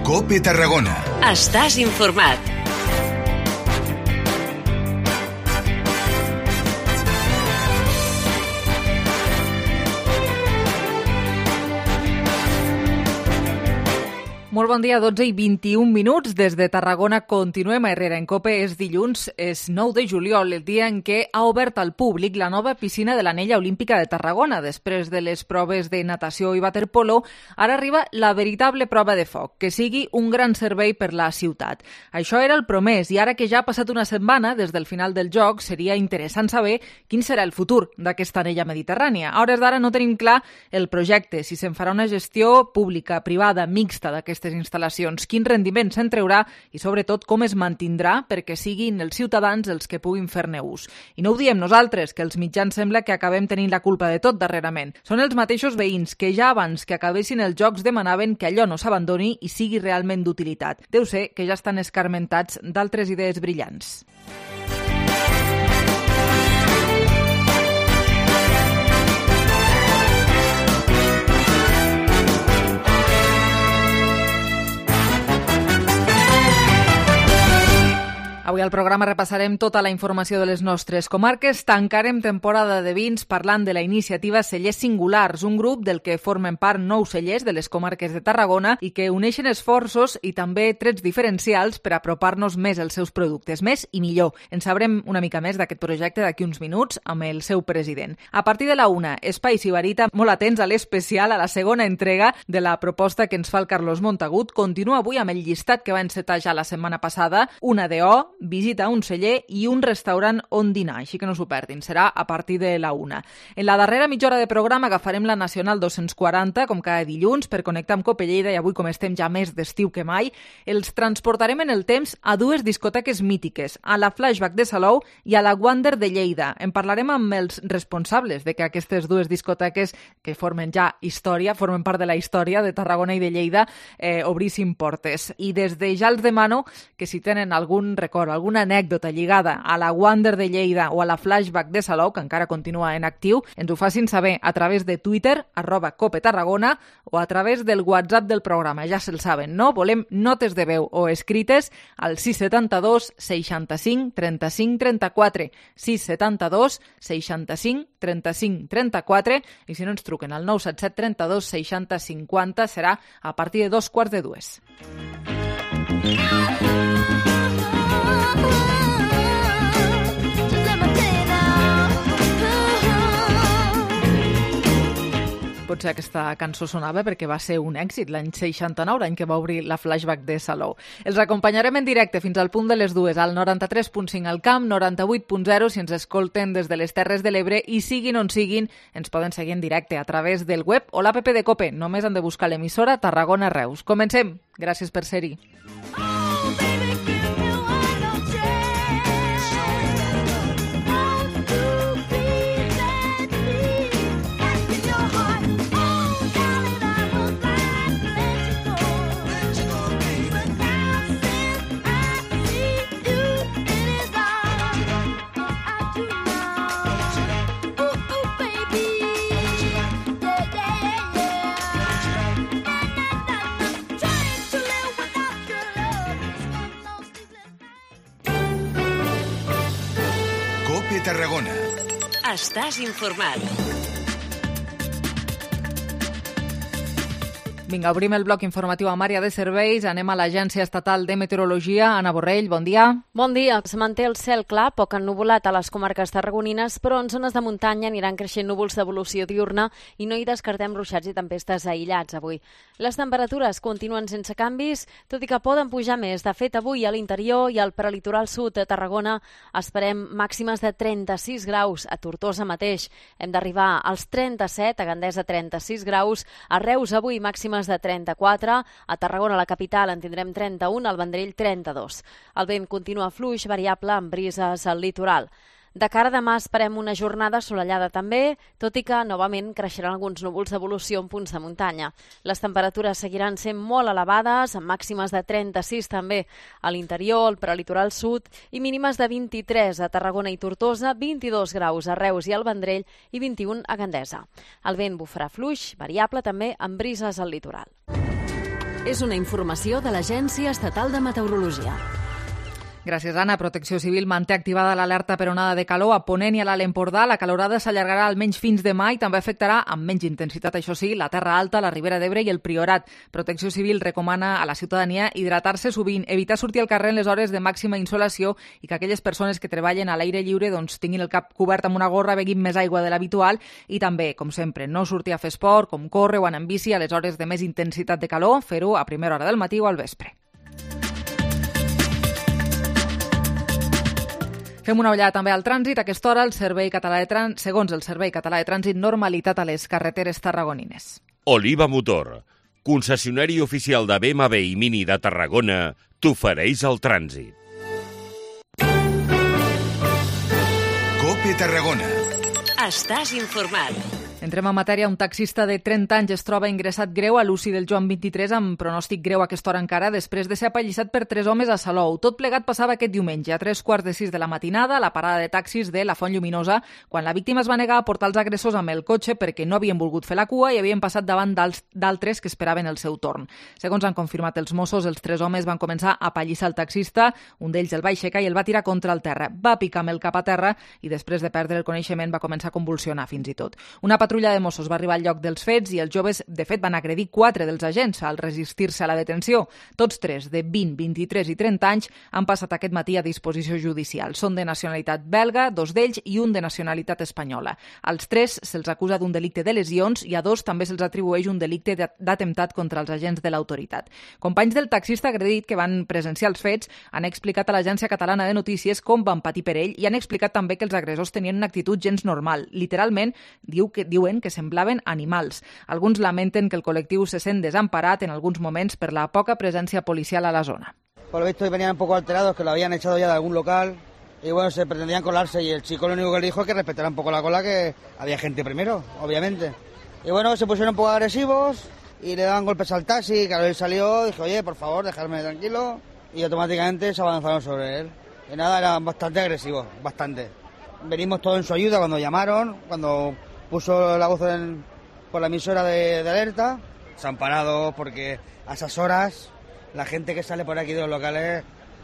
COPE Tarragona. Estàs informat. Molt bon dia, 12 i 21 minuts. Des de Tarragona continuem a Herrera en COPE. És dilluns, és 9 de juliol, el dia en què ha obert al públic la nova piscina de l'Anella Olímpica de Tarragona. Després de les proves de natació i waterpolo, ara arriba la veritable prova de foc, que sigui un gran servei per la ciutat. Això era el promès, i ara que ja ha passat una setmana des del final del joc, seria interessant saber quin serà el futur d'aquesta anella mediterrània. A hores d'ara no tenim clar el projecte, si se'n farà una gestió pública, privada, mixta d'aquestes instal·lacions, quin rendiment se'n treurà i, sobretot, com es mantindrà perquè siguin els ciutadans els que puguin fer-ne ús. I no ho diem nosaltres, que els mitjans sembla que acabem tenint la culpa de tot darrerament. Són els mateixos veïns que ja abans que acabessin els jocs demanaven que allò no s'abandoni i sigui realment d'utilitat. Deu ser que ja estan escarmentats d'altres idees brillants. Avui al programa repassarem tota la informació de les nostres comarques. Tancarem temporada de vins parlant de la iniciativa Cellers Singulars, un grup del que formen part 9 cellers de les comarques de Tarragona i que uneixen esforços i també trets diferencials per apropar-nos més als seus productes, més i millor. En sabrem una mica més d'aquest projecte d'aquí uns minuts amb el seu president. A partir de la 1, Espai Sibarita, molt atents a l'especial, a la segona entrega de la proposta que ens fa el Carlos Montagut. Continua avui amb el llistat que va encetar ja la setmana passada, una DO, visita a un celler i un restaurant on dinar, així que no s'ho perdin, serà a partir de la 1. En la darrera mitja hora de programa agafarem la Nacional 240, com cada dilluns, per connectar amb COPE Lleida, i avui, com estem ja més d'estiu que mai, els transportarem en el temps a dues discoteques mítiques, a la Flashback de Salou i a la Wander de Lleida. En parlarem amb els responsables de que aquestes dues discoteques, que formen ja història, formen part de la història de Tarragona i de Lleida, obrissin portes. I des de ja els demano que si tenen algun record, alguna anècdota lligada a la Wander de Lleida o a la Flashback de Salou, que encara continua en actiu, ens ho facin saber a través de Twitter, @COPETarragona, o a través del WhatsApp del programa. Ja se'l saben, no? Volem notes de veu o escrites al 672 65 35 34, 672 65 35 34, i si no ens truquen al 977 32 60 50, serà a partir de 2:15. Potser aquesta cançó sonava perquè va ser un èxit l'any 69, l'any que va obrir la Flashback de Salou. Els acompanyarem en directe fins al punt de les 2, al 93.5 al Camp, 98.0 si ens escolten des de les Terres de l'Ebre, i siguin on siguin, ens poden seguir en directe a través del web o l'app de COPE. Només han de buscar l'emissora Tarragona Reus. Comencem. Gràcies per ser-hi. COPE Tarragona. Estàs informat. Vinga, obrim el bloc informatiu amb àrea de serveis. Anem a l'Agència Estatal de Meteorologia. Anna Borrell, bon dia. Bon dia. Se manté el cel clar, poc ennuvolat a les comarques tarragonines, però en zones de muntanya aniran creixent núvols d'evolució diurna i no hi descartem ruixats i tempestes aïllats avui. Les temperatures continuen sense canvis, tot i que poden pujar més. De fet, avui a l'interior i al prelitoral sud de Tarragona esperem màximes de 36 graus. A Tortosa mateix hem d'arribar als 37, a Gandesa 36 graus, a Reus avui màximes de 34, a Tarragona, la capital, en tindrem 31, al Vendrell 32. El vent continua fluix, variable, amb brises al litoral. De cara a demà esperem una jornada assolellada també, tot i que novament creixeran alguns núvols d'evolució en punts de muntanya. Les temperatures seguiran sent molt elevades, amb màximes de 36 també a l'interior, al prelitoral sud, i mínimes de 23 a Tarragona i Tortosa, 22 graus a Reus i al Vendrell i 21 a Gandesa. El vent bufarà fluix, variable també, amb brises al litoral. és una informació de l'Agència Estatal de Meteorologia. Gràcies, Anna. Protecció Civil manté activada l'alerta per onada de calor a Ponent i a l'Alt Empordà. La calorada s'allargarà almenys fins demà i també afectarà amb menys intensitat, això sí, la Terra Alta, la Ribera d'Ebre i el Priorat. Protecció Civil recomana a la ciutadania hidratar-se sovint, evitar sortir al carrer en les hores de màxima insolació i que aquelles persones que treballen a l'aire lliure tinguin el cap cobert amb una gorra, beguin més aigua de l'habitual i també, com sempre, no sortir a fer esport, com córrer o anar en bici a les hores de més intensitat de calor, fer-ho a primera hora del matí o al vespre. Fem una ullada també al trànsit. A aquesta hora, segons el Servei Català de Trànsit, normalitat a les carreteres tarragonines. Oliva Motor, concessionari oficial de BMW i Mini de Tarragona, t'ofereix el trànsit. COPE Tarragona. Estàs informat. Entrem en matèria. Un taxista de 30 anys es troba ingressat greu a l'UCI del Joan 23 amb pronòstic greu a aquesta hora encara després de ser apallissat per 3 homes a Salou. Tot plegat passava aquest diumenge a 3:45 de la matinada a la parada de taxis de la Font Lluminosa, quan la víctima es va negar a portar els agressors amb el cotxe perquè no havien volgut fer la cua i havien passat davant d'altres que esperaven el seu torn. Segons han confirmat els Mossos, els 3 homes van començar a apallissar el taxista, un d'ells el va aixecar i el va tirar contra el terra. Va picar amb el cap a terra i després de perdre el coneixement va començar a convulsionar fins i tot. Una patrulla de Mossos va arribar al lloc dels fets i els joves, de fet, van agredir 4 dels agents al resistir-se a la detenció. Tots 3, de 20, 23 i 30 anys, han passat aquest matí a disposició judicial. Són de nacionalitat belga, 2 d'ells, i un de nacionalitat espanyola. Als 3 se'ls acusa d'un delicte de lesions i a 2 també se'ls atribueix un delicte d'atemptat contra els agents de l'autoritat. Companys del taxista agredit que van presenciar els fets han explicat a l'Agència Catalana de Notícies com van patir per ell i han explicat també que els agressors tenien una actitud gens normal. Literalment, diuen que semblaven animals. Alguns lamenten que el col·lectiu se sent desamparat en alguns moments per la poca presència policial a la zona. Por lo visto venían un poco alterados, que lo habían echado ya de algún local y bueno, se pretendían colarse y el chico lo único que le dijo es que respetara un poco la cola, que había gente primero, obviamente. Y bueno, se pusieron un poco agresivos y le daban golpes al taxi, claro, él salió, dije, oye, por favor, dejadme tranquilo, y automáticamente se avanzaron sobre él. Y nada, eran bastante agresivos, bastante. Venimos todos en su ayuda cuando llamaron, cuando puso la voz por la emisora de alerta. Desamparados porque a esas horas la gente que sale por aquí de los locales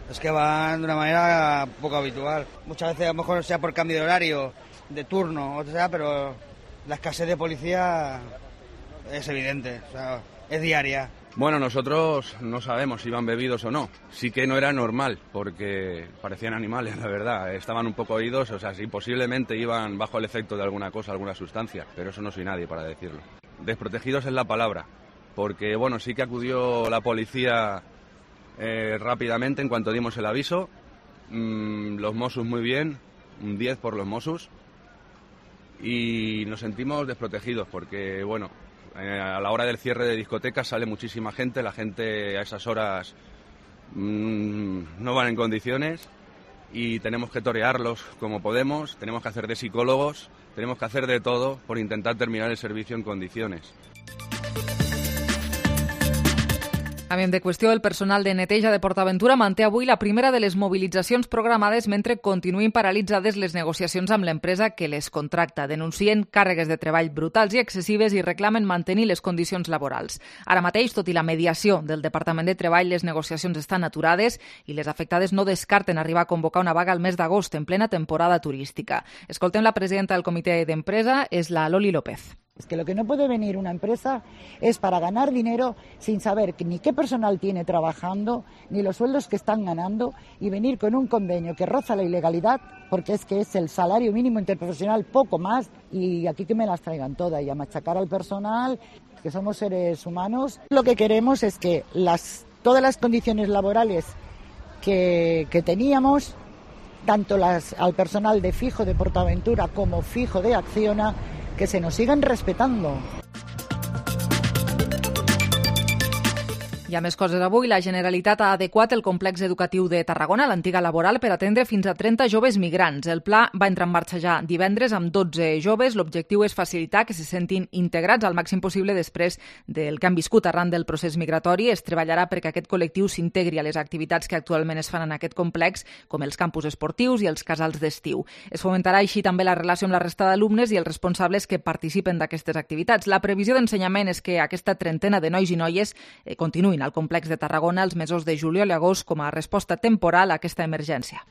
es que van de una manera poco habitual. Muchas veces a lo mejor sea por cambio de horario, de turno, o sea, pero la escasez de policía es evidente, o sea, es diaria. Bueno, nosotros no sabemos si iban bebidos o no. Sí que no era normal, porque parecían animales, la verdad. Estaban un poco oídos, o sea, sí, posiblemente iban bajo el efecto de alguna cosa, alguna sustancia, pero eso no soy nadie para decirlo. Desprotegidos es la palabra, porque, bueno, sí que acudió la policía rápidamente en cuanto dimos el aviso. Los Mossos muy bien, un 10 por los Mossos. Y nos sentimos desprotegidos porque, bueno, a la hora del cierre de discotecas sale muchísima gente, la gente a esas horas no van en condiciones y tenemos que torearlos como podemos, tenemos que hacer de psicólogos, tenemos que hacer de todo por intentar terminar el servicio en condiciones. Canviem de qüestió. El personal de neteja de PortAventura manté avui la primera de les mobilitzacions programades mentre continuïn paralitzades les negociacions amb l'empresa que les contracta. Denuncien càrregues de treball brutals i excessives i reclamen mantenir les condicions laborals. Ara mateix, tot i la mediació del Departament de Treball, les negociacions estan aturades i les afectades no descarten arribar a convocar una vaga al mes d'agost en plena temporada turística. Escoltem la presidenta del comitè d'empresa, és la Loli López. Es que lo que no puede venir una empresa es para ganar dinero sin saber ni qué personal tiene trabajando, ni los sueldos que están ganando, y venir con un convenio que roza la ilegalidad, porque es que es el salario mínimo interprofesional, poco más, y aquí que me las traigan todas, y a machacar al personal, que somos seres humanos. Lo que queremos es que todas las condiciones laborales que teníamos, tanto al personal de fijo de PortAventura como fijo de Acciona, que se nos sigan respetando. Hi ha més coses avui. La Generalitat ha adequat el complex educatiu de Tarragona, l'antiga Laboral, per atendre fins a 30 joves migrants. El pla va entrar en marxa ja divendres amb 12 joves. L'objectiu és facilitar que se sentin integrats al màxim possible després del que han viscut arran del procés migratori. Es treballarà perquè aquest col·lectiu s'integri a les activitats que actualment es fan en aquest complex, com els campus esportius i els casals d'estiu. Es fomentarà així també la relació amb la resta d'alumnes i els responsables que participen d'aquestes activitats. La previsió d'ensenyament és que aquesta trentena de nois i noies continuïn actuïn al complex de Tarragona els mesos de juliol i agost com a resposta temporal a aquesta emergència.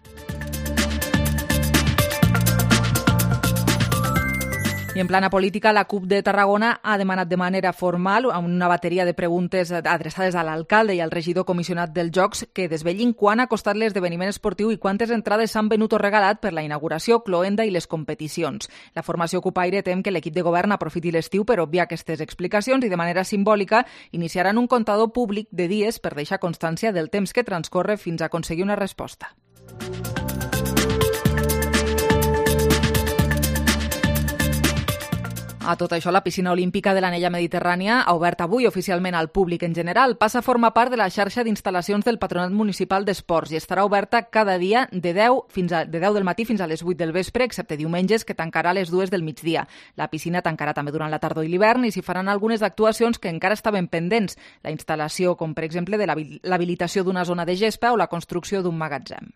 I en plana política, la CUP de Tarragona ha demanat de manera formal una bateria de preguntes adreçades a l'alcalde i al regidor comissionat dels Jocs que desvellin quan ha costat l'esdeveniment esportiu i quantes entrades s'han venut o regalat per la inauguració, cloenda i les competicions. La formació CUPaire tem que l'equip de govern aprofiti l'estiu per obviar aquestes explicacions i de manera simbòlica iniciaran un comptador públic de dies per deixar constància del temps que transcorre fins a aconseguir una resposta. A tot això, la piscina olímpica de l'Anella Mediterrània ha obert avui oficialment al públic en general. Passa a formar part de la xarxa d'instal·lacions del Patronat Municipal d'Esports i estarà oberta cada dia de 10 del matí fins a les 8 del vespre, excepte diumenges, que tancarà a les 2 del migdia. La piscina tancarà també durant la tardor i l'hivern i s'hi faran algunes actuacions que encara estaven pendents. La instal·lació, com per exemple de l'habilitació d'una zona de gespa o la construcció d'un magatzem.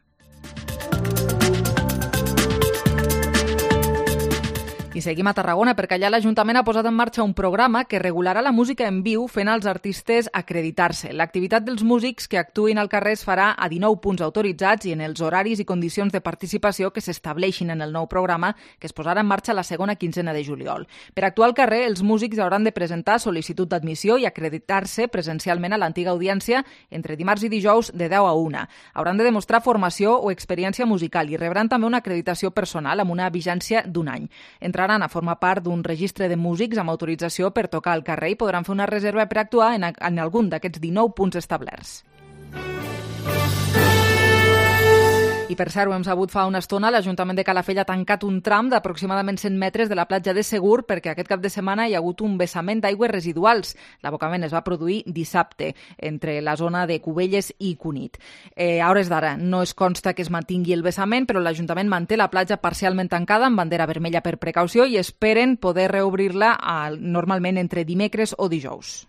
I seguim a Tarragona perquè allà l'Ajuntament ha posat en marxa un programa que regularà la música en viu fent als artistes acreditar-se. L'activitat dels músics que actuïn al carrer es farà a 19 punts autoritzats i en els horaris i condicions de participació que s'estableixin en el nou programa que es posarà en marxa la segona quinzena de juliol. Per actuar al carrer, els músics hauran de presentar sol·licitud d'admissió i acreditar-se presencialment a l'antiga audiència entre dimarts i dijous de 10 a 1. Hauran de demostrar formació o experiència musical i rebran també una acreditació personal amb una vigència d'un any. Entraran a formar part d'un registre de músics amb autorització per tocar al carrer i podran fer una reserva per actuar en algun d'aquests 19 punts establerts. I per cert, ho hem sabut fa una estona, l'Ajuntament de Calafell ha tancat un tram d'aproximadament 100 metres de la platja de Segur perquè aquest cap de setmana hi ha hagut un vessament d'aigües residuals. L'abocament es va produir dissabte entre la zona de Cubelles i Cunit. A hores d'ara no es consta que es mantingui el vessament, però l'Ajuntament manté la platja parcialment tancada amb bandera vermella per precaució i esperen poder reobrir-la normalment entre dimecres o dijous.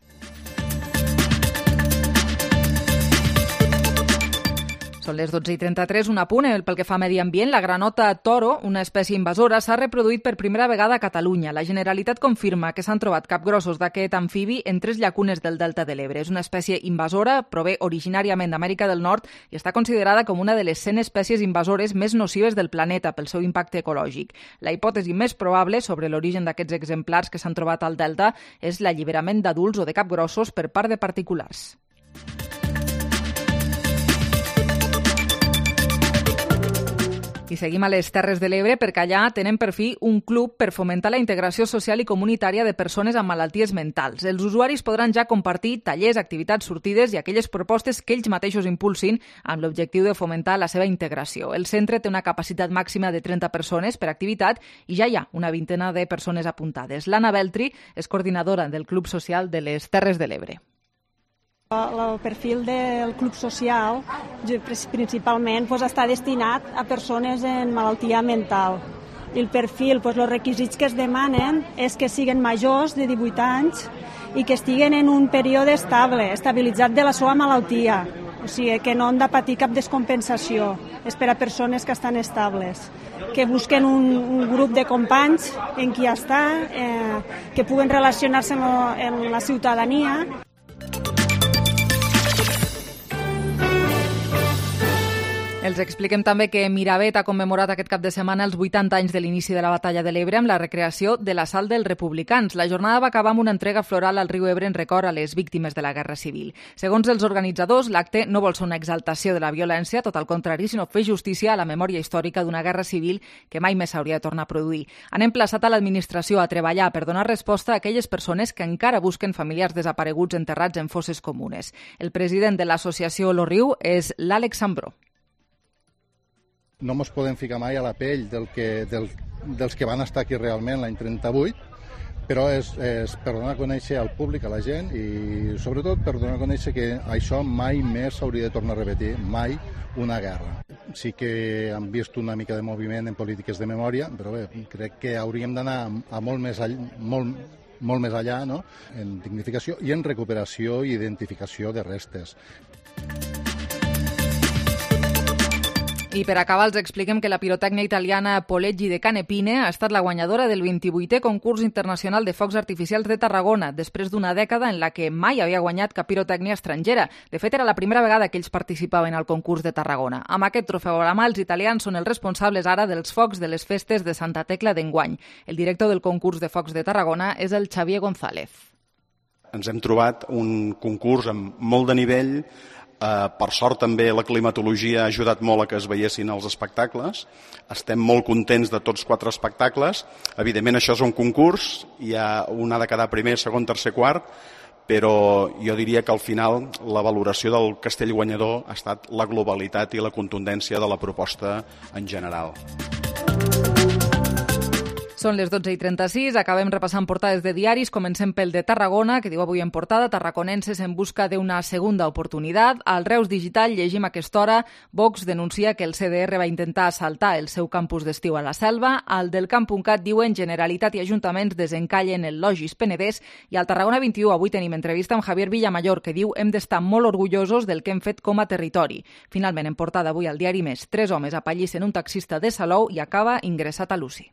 Són les 12:33, un apunt pel que fa a medi ambient. La granota toro, una espècie invasora, s'ha reproduït per primera vegada a Catalunya. La Generalitat confirma que s'han trobat capgrossos d'aquest amfibi en 3 llacunes del Delta de l'Ebre. És una espècie invasora, prové originàriament d'Amèrica del Nord i està considerada com una de les 100 espècies invasores més nocives del planeta pel seu impacte ecològic. La hipòtesi més probable sobre l'origen d'aquests exemplars que s'han trobat al Delta és l'alliberament d'adults o de capgrossos per part de particulars. I seguim a les Terres de l'Ebre perquè allà tenen per fi un club per fomentar la integració social i comunitària de persones amb malalties mentals. Els usuaris podran ja compartir tallers, activitats, sortides i aquelles propostes que ells mateixos impulsin amb l'objectiu de fomentar la seva integració. El centre té una capacitat màxima de 30 persones per activitat i ja hi ha una vintena de persones apuntades. L'Anna Beltri és coordinadora del Club Social de les Terres de l'Ebre. El perfil del club social principalment està destinat a persones en malaltia mental. I el perfil, els requisits que es demanen és que siguin majors de 18 anys i que estiguen en un període estable, estabilitzat de la seva malaltia. O sigui, que no han de patir cap descompensació. És per a persones que estan estables. Que busquen un grup de companys en qui està, que puguen relacionar-se amb la ciutadania. Els expliquem també que Miravet ha commemorat aquest cap de setmana els 80 anys de l'inici de la Batalla de l'Ebre amb la recreació de l'assalt dels republicans. La jornada va acabar amb una entrega floral al riu Ebre en record a les víctimes de la Guerra Civil. Segons els organitzadors, l'acte no vol ser una exaltació de la violència, tot al contrari, sinó fer justícia a la memòria històrica d'una guerra civil que mai més s'hauria de tornar a produir. Han emplaçat a l'administració a treballar per donar resposta a aquelles persones que encara busquen familiars desapareguts enterrats en fosses comunes. El president de l'associació Lo Riu és l'Àlex Sambró. No ens podem ficar mai a la pell dels que van estar aquí realment l'any 38, però és per donar a conèixer al públic, a la gent, i sobretot per donar a conèixer que això mai més s'hauria de tornar a repetir, mai una guerra. Sí que hem vist una mica de moviment en polítiques de memòria, però bé, crec que hauríem d'anar a molt més allà, no? En dignificació i en recuperació i identificació de restes. I per acabar els expliquem que la pirotècnia italiana Poleggi de Canepine ha estat la guanyadora del 28è concurs internacional de focs artificials de Tarragona, després d'una dècada en la que mai havia guanyat cap pirotècnia estrangera. De fet, era la primera vegada que ells participaven al concurs de Tarragona. Amb aquest trofeu a la mà, els italians són els responsables ara dels focs de les festes de Santa Tecla d'enguany. El director del concurs de focs de Tarragona és el Xavier González. Ens hem trobat un concurs amb molt de nivell. Per sort també la climatologia ha ajudat molt a que es veiessin els espectacles. Estem molt contents de tots 4 espectacles. Evidentment això és un concurs, hi ha un ha de quedar primer, segon, tercer, quart, però jo diria que al final la valoració del castell guanyador ha estat la globalitat i la contundència de la proposta en general. Són les 12:36, acabem repassant portades de diaris, comencem pel de Tarragona, que diu avui en portada, tarraconenses en busca d'una segunda oportunitat. Al Reus Digital llegim a aquesta hora, Vox denuncia que el CDR va intentar assaltar el seu campus d'estiu a la Selva. Al del Camp.cat diuen Generalitat i Ajuntaments desencallen el Logis Penedès. I al Tarragona 21 avui tenim entrevista amb Javier Villamayor, que diu hem d'estar molt orgullosos del que hem fet com a territori. Finalment, en portada avui al diari Més, 3 homes apallissen un taxista de Salou i acaba ingressat a l'UCI.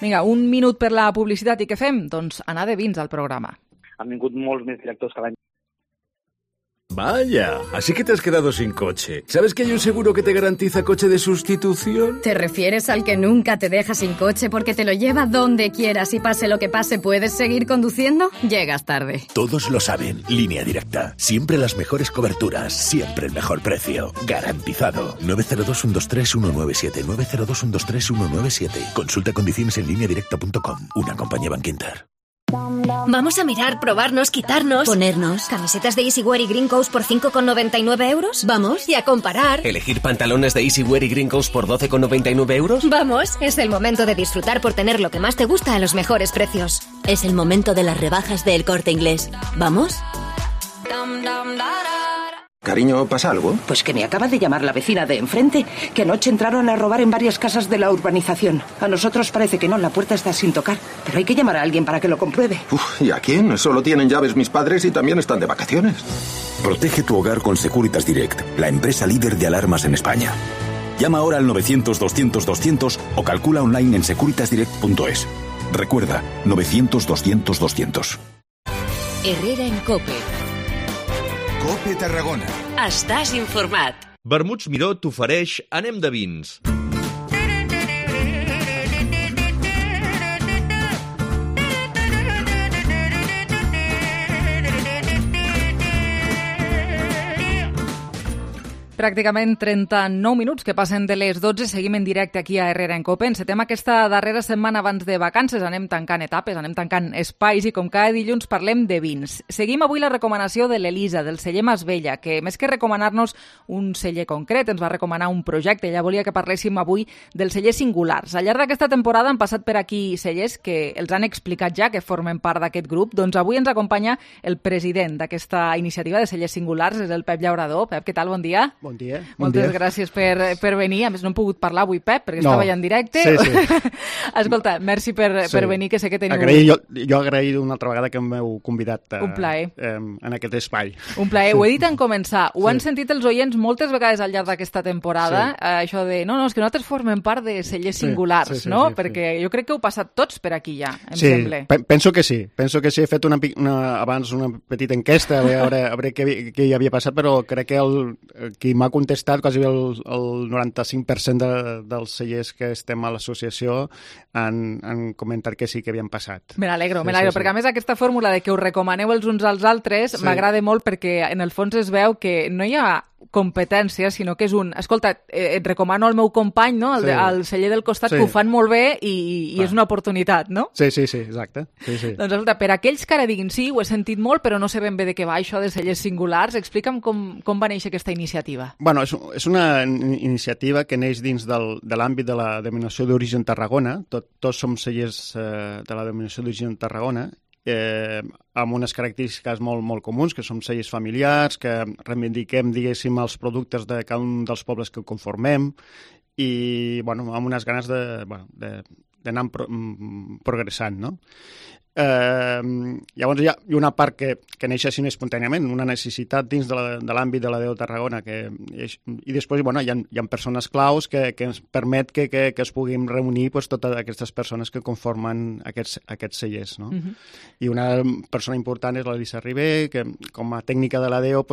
Vinga, un minut per la publicitat i què fem? Doncs anar de vins al programa. Han vingut molts més directors que l'any. Vaya, así que te has quedado sin coche. ¿Sabes que hay un seguro que te garantiza coche de sustitución? ¿Te refieres al que nunca te deja sin coche porque te lo lleva donde quieras y pase lo que pase puedes seguir conduciendo? Llegas tarde. Todos lo saben. Línea Directa. Siempre las mejores coberturas. Siempre el mejor precio. Garantizado. 902-123-197. 902-123-197. Consulta condiciones en lineadirecta.com. Una compañía Bankinter. Vamos a mirar, probarnos, quitarnos, ponernos camisetas de Easywear y Green Coast por 5,99 euros. Vamos. Y a comparar. ¿Elegir pantalones de Easywear y Green Coast por 12,99 euros? Vamos. Es el momento de disfrutar por tener lo que más te gusta a los mejores precios. Es el momento de las rebajas del Corte Inglés. ¿Vamos? Cariño, ¿pasa algo? Pues que me acaba de llamar la vecina de enfrente, que anoche entraron a robar en varias casas de la urbanización. A nosotros parece que no, la puerta está sin tocar, pero hay que llamar a alguien para que lo compruebe. ¿Y a quién? Solo tienen llaves mis padres y también están de vacaciones. Protege tu hogar con Securitas Direct, la empresa líder de alarmas en España. Llama ahora al 900-200-200 o calcula online en securitasdirect.es. Recuerda, 900-200-200. Herrera en COPE. COPE Tarragona. Estàs informat. Vermuts Miró t'ofereix Anem de vins. Pràcticament 39 minuts que passen de les 12. Seguim en directe aquí a Herrera en COPE. Encetem aquesta darrera setmana abans de vacances. Anem tancant etapes, anem tancant espais i com cada dilluns parlem de vins. Seguim avui la recomanació de l'Elisa, del celler Masvella, que més que recomanar-nos un celler concret, ens va recomanar un projecte. Ella volia que parléssim avui dels cellers singulars. Al llarg d'aquesta temporada han passat per aquí cellers que els han explicat ja que formen part d'aquest grup. Doncs avui ens acompanya el president d'aquesta iniciativa de cellers singulars, és el Pep Llaurador. Pep, què tal? Bon dia. Bon dia. Moltes gràcies per venir. A més, no hem pogut parlar avui, Pep, perquè estava ja en directe. Sí. Escolta, merci per venir, que sé que teniu... Jo agraït una altra vegada que m'heu convidat un plaer. En aquest espai. Un plaer. Ho he dit en començar. Ho han sentit els oients moltes vegades al llarg d'aquesta temporada, això de, no, és que nosaltres formem part de cellers singulars, no? Perquè jo crec que heu passat tots per aquí ja, em sembla. Penso que sí. He fet abans una petita enquesta a veure què hi havia passat, però crec que qui m'ha contestat, quasi el 95% dels cellers que estem a l'associació han comentat que sí que havien passat. Me n'alegro, perquè a més aquesta fórmula de que us recomaneu els uns als altres m'agrada molt perquè en el fons es veu que no hi ha competència, sinó que és escolta, et recomano al meu company, no? El celler del costat, que ho fan molt bé i és una oportunitat, no? Sí, exacte. Sí. Doncs escolta, per aquells que ara diguin sí, ho he sentit molt, però no sé ben bé de què va això de cellers singulars, explica'm com va néixer aquesta iniciativa. Bueno, és una iniciativa que neix dins de l'àmbit de la denominació d'origen Tarragona. Tots som cellers de la denominació d'origen Tarragona, amb unes característiques molt comuns, que som cellers familiars, que reivindiquem, diguéssim, els productes de cada un dels pobles que conformem i, amb unes ganes d'anar progressant, no? Llavors hi ha una part que neix així espontàniament, una necessitat dins de l'àmbit de la DO Tarragona, i després hi ha persones claus que ens permet que es puguin reunir totes aquestes persones que conformen aquests cellers. No? I una persona important és l'Elisa Ribé, que com a tècnica de la DO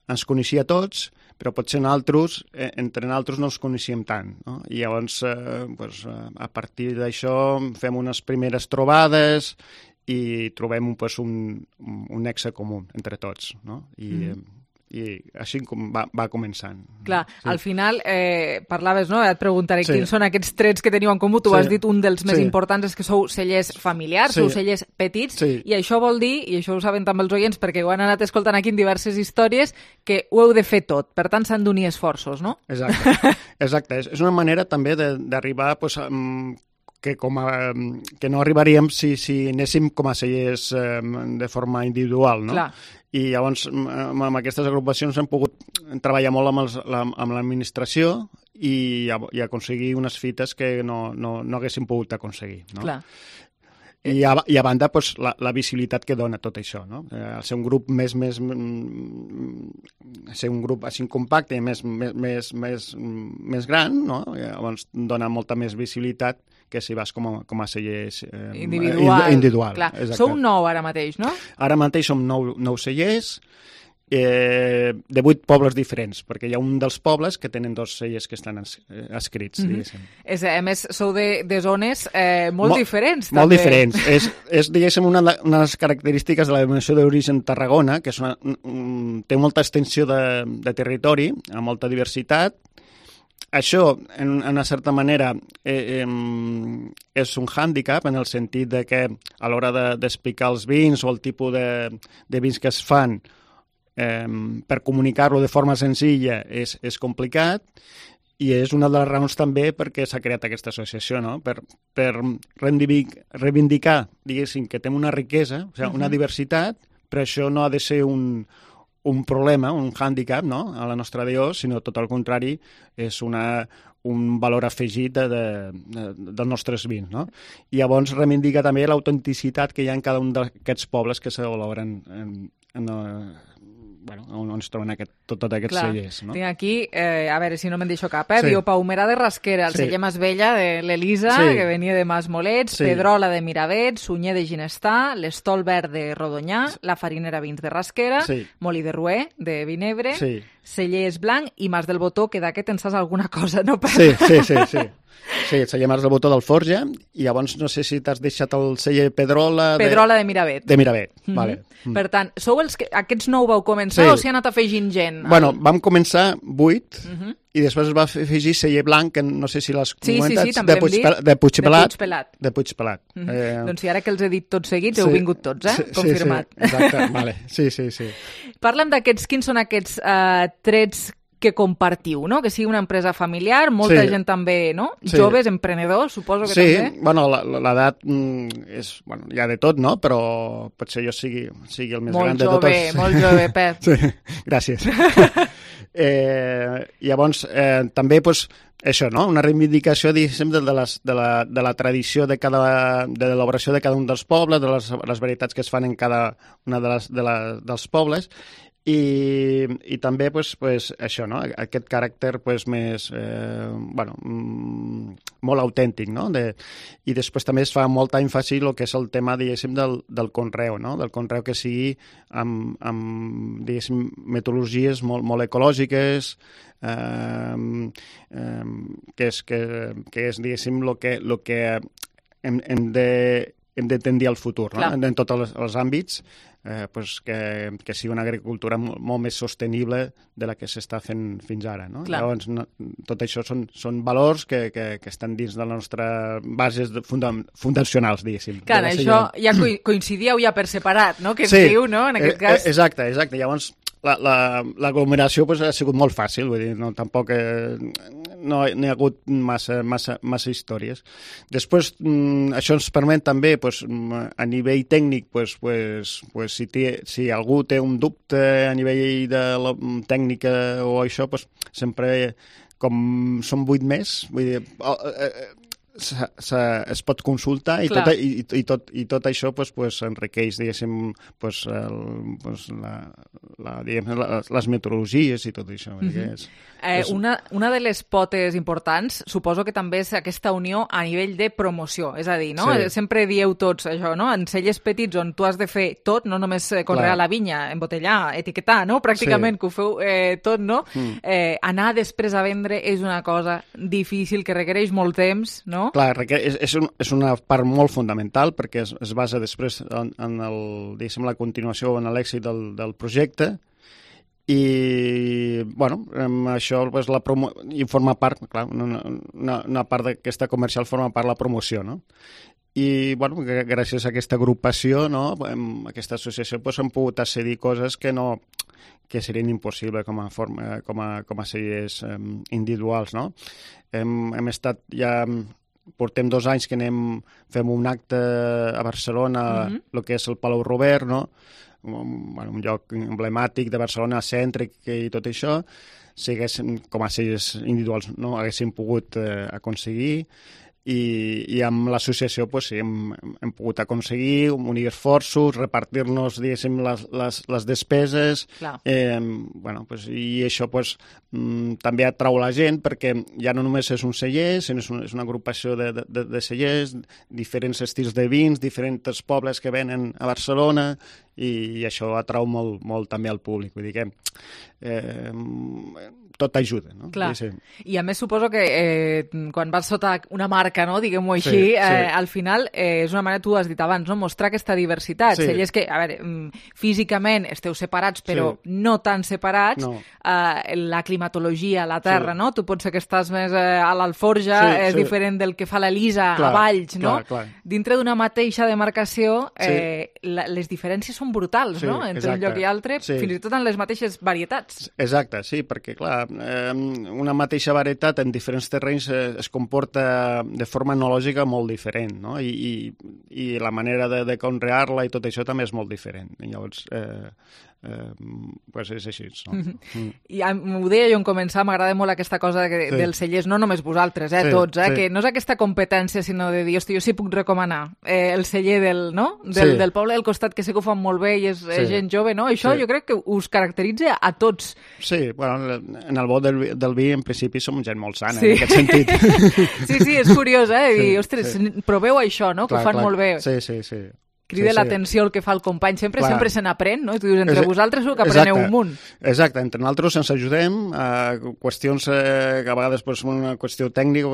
ens coneixia tots, però potser entre nosaltres no els coneixíem tant. No? I llavors, a partir d'això, fem unes primeres trobades i trobem un nexe comú entre tots. No? I així va començant. Clar, al final parlaves, no? Et preguntaré quins són aquests trets que teniu en comú. Tu has dit un dels més importants és que sou cellers familiars, sou cellers petits, i això vol dir, i això ho saben també els oients perquè ho han anat escoltant aquí en diverses històries, que ho heu de fer tot. Per tant, s'han d'unir esforços, no? Exacte. És una manera també d'arribar que no arribaríem si anéssim com a cellers de forma individual, no? Clar. I llavors amb aquestes agrupacions hem pogut treballar molt amb l'administració i aconseguir unes fites que no haguéssim pogut aconseguir. No? Clar. I a banda, la visibilitat que dona tot això, no? Al ser un grup ser un grup així compacte i més gran, no? Llavors dona molta més visibilitat que si vas com a celler individual. Clar. Sou 9 ara mateix, no? Ara mateix som 9 cellers, de 8 pobles diferents, perquè hi ha un dels pobles que tenen 2 cellers que estan escrits, diguéssim. A més, sou de zones molt diferents, també. Molt diferents. És diguéssim, una de les característiques de la denominació d'origen Tarragona, que té molta extensió de territori, amb molta diversitat. Això, en una certa manera, és un hàndicap en el sentit de que a l'hora d'explicar els vins o el tipus de vins que es fan, per comunicar-lo de forma senzilla és complicat, i és una de les raons també perquè s'ha creat aquesta associació, no? Per reivindicar, diguéssim, que tenim una riquesa, una diversitat, però això no ha de ser un problema, un hàndicap, no? A la nostra DO, sinó tot el contrari, és un valor afegit dels nostres vins, no? I llavors reivindica també l'autenticitat que hi ha en cada un d'aquests pobles que s'elaboren on es troben tots aquests cellers. No? Tinc aquí, a veure si no me'n deixo cap, diu Paumerà de Rasquera, el celler Mas Vella de l'Elisa, que venia de Mas Molets, Pedrola de Miravet, Sunyer de Ginestà, l'Estol Verd de Rodonyà, la Farinera Vins de Rasquera, Molí de Rué de Vinebre, Cellers Blanc i Mas del Botó, que d'aquest en saps alguna cosa, no? Sí. Sí, el celler Mas del Botó del Forja, i llavors no sé si t'has deixat el celler Pedrola... Pedrola de Miravet. De Miravet, vale. Per tant, sou aquests 9 vau començar o s'hi ha anat afegint gent? Bueno, vam començar 8 i després es va afegir celler Blanc, que no sé si l'has comentat, també de Puigpelat. De Puigpelat. Doncs si ara que els he dit tots seguits, heu vingut tots, confirmat. Sí, exacte, vale. Sí. Parla'm d'aquests, quins són aquests trets que compartiu, no? Que sigui una empresa familiar, molta gent també, no? Joves, emprenedors, suposo que també. Sí, bueno, l'edat és, hi ha de tot, no? Però potser jo sigui el més gran de tots. Molt jove, Pep. Sí, gràcies. Llavors, també, això, no? Una reivindicació, diguéssim, de la tradició de l'elaboració de cada un dels pobles, de les varietats que es fan en cada una dels pobles, i també això, no? Aquest caràcter més molt autèntic, no? I després també es fa molta èmfasi el que és el tema, diguéssim, del conreu, no? Del conreu que sigui amb diguéssim, metodologies molt ecològiques, que és diguéssim el que hem de tendir al futur, no? En tots els àmbits, que sigui una agricultura molt més sostenible de la que s'està fent fins ara, no? Llavors, tot això són valors que estan dins de les nostres bases fundacionals, diguéssim. Clar, això ja coincidíeu ja per separat, no? Que es diu, no? En aquest cas... Exacte. Llavors, l'aglomeració ha sigut molt fàcil, vull dir, tampoc no hi ha hagut massa històries. Després, això ens permet també, a nivell tècnic, si algú té un dubte a nivell de la tècnica o això, sempre, com som 8 més, vull dir, es pot consultar i tot això enriqueix, diguéssim, les metodologies i tot això. Una de les potes importants suposo que també és aquesta unió a nivell de promoció, és a dir, no? Sempre dieu tots això, no? En cellers petits on tu has de fer tot, no només conrear la vinya, embotellar, etiquetar, no? Pràcticament que ho feu tot, no? Anar després a vendre és una cosa difícil que requereix molt temps, no? Clar, és una part molt fonamental perquè es basa després en la continuació, en l'èxit del projecte i, bueno, això i forma part, clar, una part d'aquesta comercial forma part la promoció, no? I, bueno, gràcies a aquesta agrupació, no, aquesta associació, hem pogut accedir coses que serien impossibles com a cellers individuals, no? Hem estat ja... Portem 2 anys que fem un acte a Barcelona, el que és el Palau Robert, no? Un lloc emblemàtic de Barcelona, cèntric i tot això, si haguéssim, com a cellers individuals, no haguéssim pogut aconseguir, i amb l'associació hem pogut aconseguir unir esforços, repartir-nos, diguéssim, les despeses, i això també atrau la gent perquè ja no només és un celler, sinó és una agrupació de cellers, diferents estils de vins, diferents pobles que venen a Barcelona, i això atrau molt també al públic. Vull dir que tot ajuda, no? Clar. I a més suposo que quan vas sota una marca, no, diguem-ho així, al final és una manera, tu has dit abans, no, mostrar aquesta diversitat. Cellers que, a veure, físicament esteu separats, però no tan separats, la climatologia, la terra, no? Tu pots ser que estàs més a l'Alforja, és diferent del que fa l'Elisa a Valls, no? Dintre d'una mateixa demarcació, les diferències són brutals, no? Entre un lloc i altre, fins i tot en les mateixes varietats. Exacte, sí, perquè, clar, una mateixa varietat en diferents terrenys es comporta de forma enològica molt diferent, no? I la manera de conrear-la i tot això també és molt diferent. Llavors, és així, no? I ho deia jo en començar, m'agrada molt aquesta cosa dels cellers, no només vosaltres, tots, que no és aquesta competència, sinó de dir, hosti, jo sí puc recomanar el celler del poble del costat, que sé que ho fan molt bé i és gent jove, no? Això jo crec que us caracteritza a tots. Sí, bueno, en el bo del vi, en principi, som gent molt sana, en aquest sentit. Sí, és curiós, dir, ostres, proveu això, no? Que ho fan molt bé. Sí. Crida l'atenció el que fa el company. Sempre se n'aprèn, no? I tu dius, entre vosaltres que apreneu un munt. Exacte, entre nosaltres ens ajudem. Qüestions que a vegades una qüestió tècnica,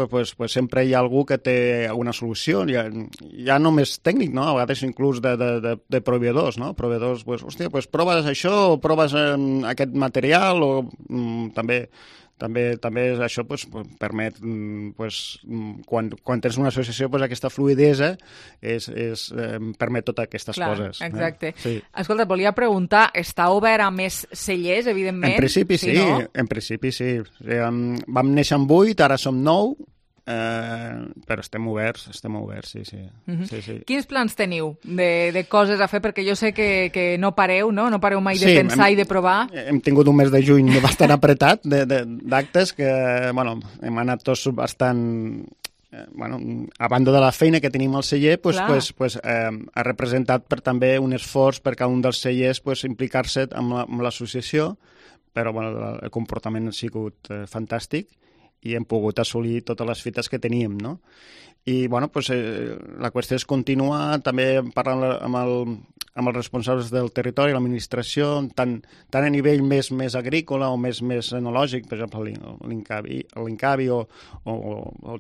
sempre hi ha algú que té alguna solució. Ja no més tècnic, no? A vegades inclús de proveïdors, no? Proveïdors, hòstia, proves això, o proves aquest material, o també això permet, quan tens una associació, aquesta fluidesa permet totes aquestes coses. Exacte. Escolta, et volia preguntar, està obert a més cellers, evidentment? En principi sí, en principi sí. Vam néixer amb 8, ara som 9, però estem oberts, sí. Quins plans teniu de coses a fer? Perquè jo sé que no pareu, no? No pareu mai de pensar i de provar. Hem tingut un mes de juny bastant apretat d'actes que, hem anat tots bastant... a banda de la feina que tenim al celler, ha representat també un esforç per cada un dels cellers implicar-se amb l'associació, però el comportament ha sigut fantàstic i hem pogut assolir totes les fites que teníem, no? I, la qüestió és continuar també parlant amb els responsables del territori, l'administració, tant a nivell més agrícola o més enològic, per exemple, l'Incavi o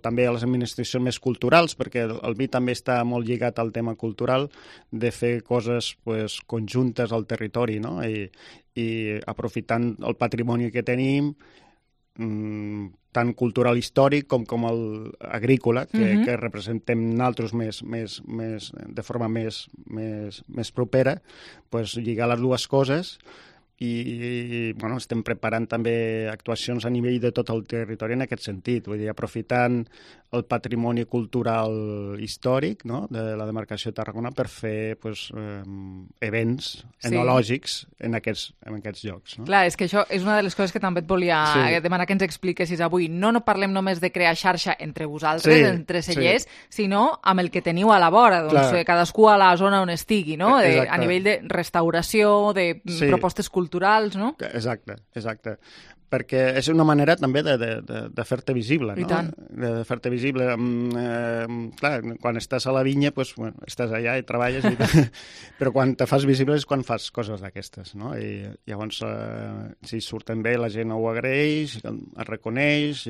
també a les administracions més culturals, perquè el vi també està molt lligat al tema cultural, de fer coses conjuntes al territori, no? I aprofitant el patrimoni que tenim, tant cultural històric com el agrícola, que representem nosaltres de forma més propera, lligar les dues coses i bueno, estem preparant també actuacions a nivell de tot el territori en aquest sentit, vull dir, aprofitant el patrimoni cultural històric, no?, de la demarcació de Tarragona per fer events enològics en aquests llocs. No? Clar, és que això és una de les coses que també et volia demanar que ens expliquessis avui. No parlem només de crear xarxa entre vosaltres, entre cellers, sinó amb el que teniu a la vora, doncs cadascú a la zona on estigui, no? A nivell de restauració, de propostes culturals, no? Exacte. Perquè és una manera també de fer-te visible, no? I tant. De fer-te visible. Clar, quan estàs a la vinya, doncs, bueno, estàs allà i treballes, però quan te fas visible és quan fas coses d'aquestes, no? I llavors, si surten bé, la gent ho agraeix, es reconeix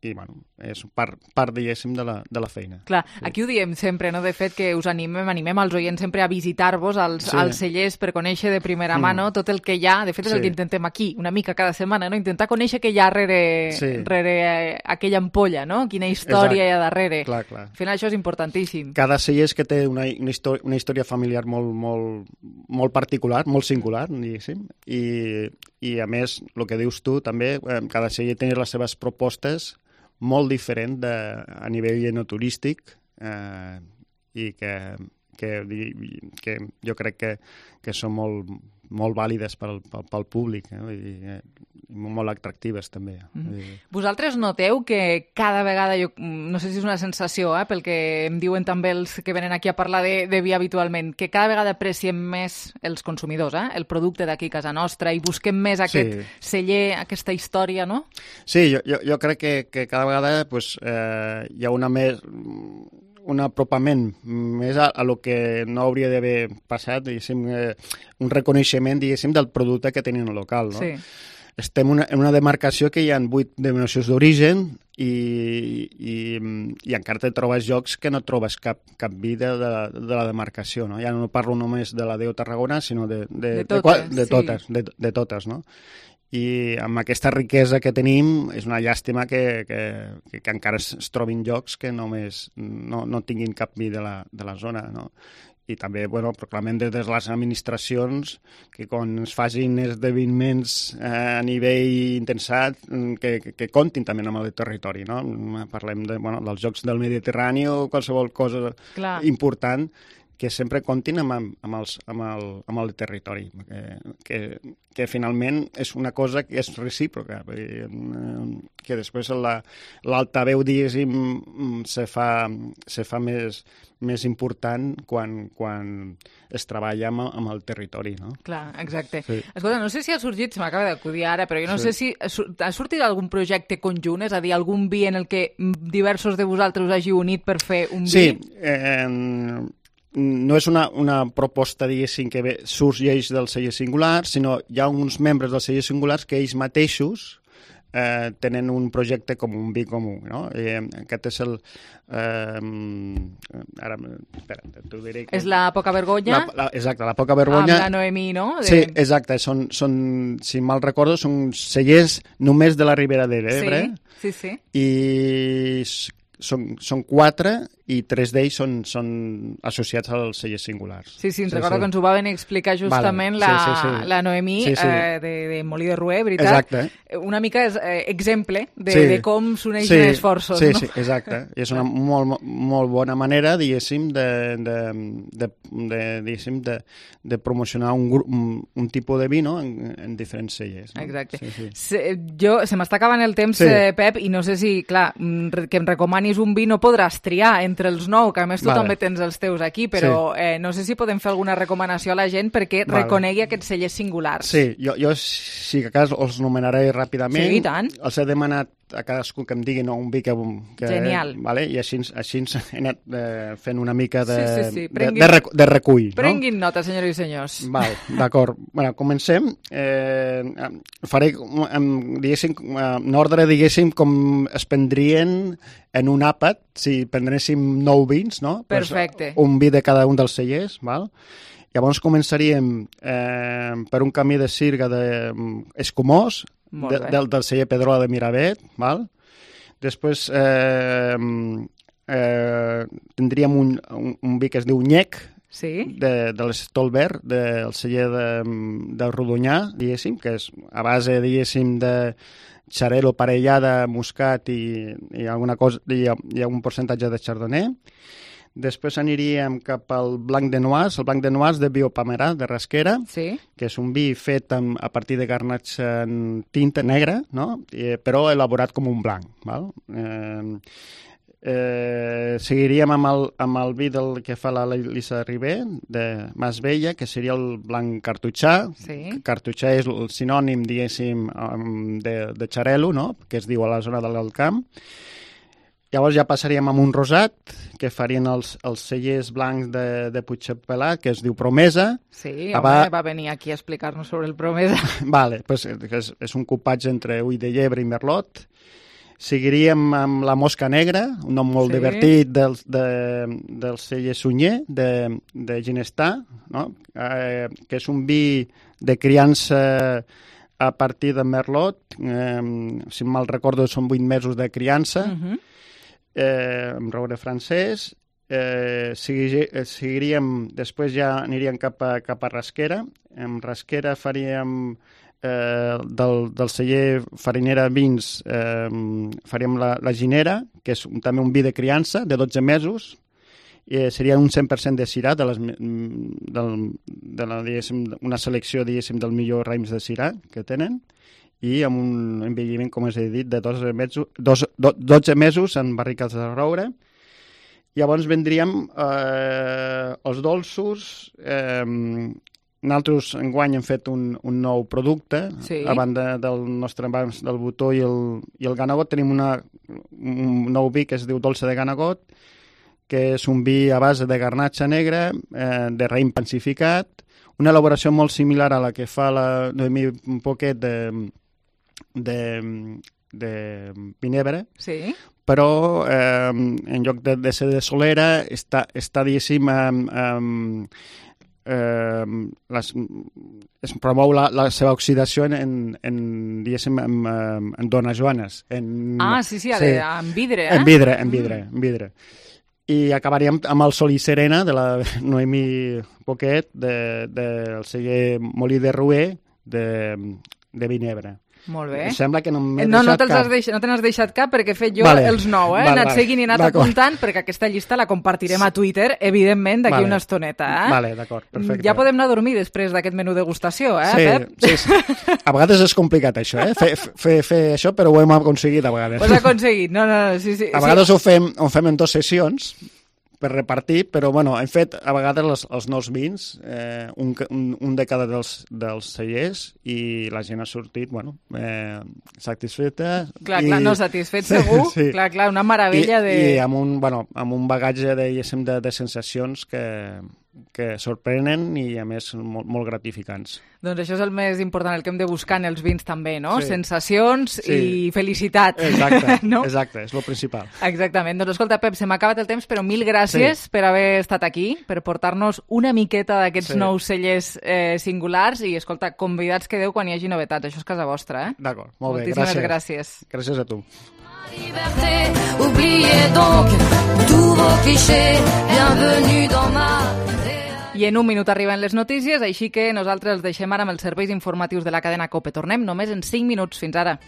i bueno, és part diguéssim, de la feina. Clar, aquí ho diem sempre, no? De fet, que us animem als oients sempre a visitar-vos als cellers per conèixer de primera mà, no? Tot el que hi ha, de fet és el que intentem aquí, una mica cada setmana, no? Intentar conèixer què hi ha rere aquella ampolla, no? Quina història hi ha darrere. Clar. Al final això és importantíssim. Cada celler és que té una història familiar molt particular, molt singular, diguéssim, i a més, el que dius tu també, cada celler té les seves propostes molt diferent a nivell enoturístic i que jo crec que són molt vàlides pel públic i molt atractives també. Vosaltres noteu que cada vegada, no sé si és una sensació, pel que em diuen també els que venen aquí a parlar de vi habitualment, que cada vegada apreciem més els consumidors, el producte d'aquí a casa nostra i busquem més aquest celler, aquesta història, no? Sí, jo crec que cada vegada hi ha un apropament més a lo que no hauria d'haver passat, diguéssim, un reconeixement, diguéssim, del producte que tenen al local, no? Sí. Estem en una demarcació que hi ha 8 denominacions d'origen i encara te trobes llocs que no trobes cap vida de la demarcació, no? Ja no parlo només de la DEO Tarragona, sinó de totes, no? I amb aquesta riquesa que tenim és una llàstima que encara es trobin llocs que només no tinguin cap vi de la zona, no? I també, proclamem des de les administracions que quan es facin esdeveniments a nivell intensat que comptin també amb el territori, no? Parlem dels Jocs del Mediterrani o qualsevol cosa important que sempre comptin amb el territori, que finalment és una cosa que és recíproca, que després l'altaveu, diguéssim, se fa més important quan es treballa amb el territori, no? Clar, exacte. Sí. Escolta, no sé si ha sorgit, se m'acaba d'acudir ara, però jo no sé si ha sortit algun projecte conjunt, és a dir, algun vi en el que diversos de vosaltres us hagi unit per fer un vi? Sí, no és una proposta, diguéssim, que sorgeix del celler singular, sinó hi ha uns membres del celler singulars que ells mateixos tenen un projecte com un vi comú, no? Aquest és el... Ara, espera, t'ho diré. És la Poca Vergonya? Exacte, la Poca Vergonya. Amb la Noemí, no? Sí, exacte. Són, si mal recordo, són cellers només de la Ribera d'Ebre. Sí. I són 4 i 3 d'ells són associats als cellers singulars. Sí, ens recordo que ens ho va venir a explicar justament la Noemí de Molí de Rué, veritat? Exacte. Una mica és exemple de com s'uneixen esforços, no? Sí, exacte. I és una molt bona manera, diguéssim, de promocionar un tipus de vi, no?, en diferents cellers. Exacte. Se m'està acabant el temps, Pep, i no sé si, clar, que em recomanis un vi no podràs triar entre els 9, que a més tu també tens els teus aquí, però no sé si podem fer alguna recomanació a la gent perquè reconegui aquests cellers singulars. Sí, jo si a cas els nomenaré ràpidament. Sí, i tant. Els he demanat a cadascú que em digui un vi que genial. I així he anat fent una mica de recull. Prenguin nota, senyores i senyors. D'acord. Comencem. Faré, diguéssim, en ordre, diguéssim, com es prendrien en un àpat, si prendréssim 9 vins, no? Perfecte. Un vi de cada un dels cellers, val? Llavors començaríem per un camí de sirga d'Escumós, del celler Pedrola de Miravet, val? Després tindríem un vi que es diu Nyec, de l'Stolberg, del celler de Rodonyà, diguéssim, que és a base, diguéssim, de xarel·lo parellada, muscat i alguna cosa, i algun percentatge de chardonnay. Després aniríem cap al blanc de noix, el blanc de noix de Biopamerà, de Rasquera, que és un vi fet a partir de garnatxa en tinta negra, no? Però elaborat com un blanc. Val? Seguiríem amb el vi del que fa la Lisa Ribé, de Mas Vella, que seria el blanc cartutxà. Cartutxà és el sinònim, diguéssim, de xarel·lo, no? Que es diu a la zona de l'Alt Camp. Llavors ja passaríem amb un rosat, que farien els cellers blancs de Puigpelat, que es diu Promesa. Sí, home, va venir aquí a explicar-nos sobre el Promesa. Vale, pues és un cupatge entre ull de llebre i merlot. Seguiríem amb la Mosca Negra, un nom molt divertit del celler Sunyer, de Ginestà, no? Que és un vi de criança a partir de merlot. Si mal recordo, són 8 mesos de criança, amb roure francès. Seguiríem, després ja aniríem cap a Rasquera. En Rasquera faríem del celler Farinera Vins, faríem la Ginera, que és també un vi de criança de 12 mesos. Seria un 100% de Syrah, una selecció, diguéssim, del millor raïms de Syrah que tenen, i amb un envelliment, com us he dit, de 12 mesos en barricades de roure. Llavors vendríem els dolços. Nosaltres enguany hem fet un nou producte. A banda del nostre abans del botó i el ganagot, tenim un nou vi que es diu Dolce de Ganagot, que és un vi a base de garnatxa negra, de raïm pansificat, una elaboració molt similar a la que fa la Noemí Poquet de vinebre, però en lloc de ser de solera està diguéssim, es promou la seva oxidació en dones joanes. En vidre, En vidre. I acabaríem amb el Sol i Serena de la Noemí Poquet del celler Molí de Rouer de Vinebre. Molt bé. Em sembla que no m'he deixat cap. No te n'has deixat cap perquè he fet jo els 9, he anat seguint i he anat apuntant, perquè aquesta llista la compartirem a Twitter, evidentment, d'aquí una estoneta. Vale, d'acord, perfecte. Ja podem anar a dormir després d'aquest menú degustació, Pep? Sí. A vegades és complicat això, fer això, però ho hem aconseguit a vegades. Ho has aconseguit, no, sí. A vegades ho fem en 2 sessions, per repartir, però hem fet a vegades els nous vins, un de cada dels cellers, i la gent ha sortit satisfeta. Clar, no, satisfet segur. Sí. Clar, una meravella I amb un bagatge de sensacions que sorprenen i a més molt gratificants. Doncs això és el més important, el que hem de buscar en els vins també, no? Sí. Sensacions i felicitat. Exacte, no? Exacte, és el principal. Exactament. Doncs escolta, Pep, se m'ha acabat el temps, però mil gràcies per haver estat aquí, per portar-nos una miqueta d'aquests nous cellers singulars i, escolta, convidats quedeu quan hi hagi novetats. Això és casa vostra, D'acord, molt bé, moltíssimes gràcies. Gràcies a tu. Oubliez donc tous vos clichés, bienvenue dans ma... I en un minut arriben les notícies, així que nosaltres els deixem ara amb els serveis informatius de la cadena COPE. Tornem només en 5 minuts. Fins ara.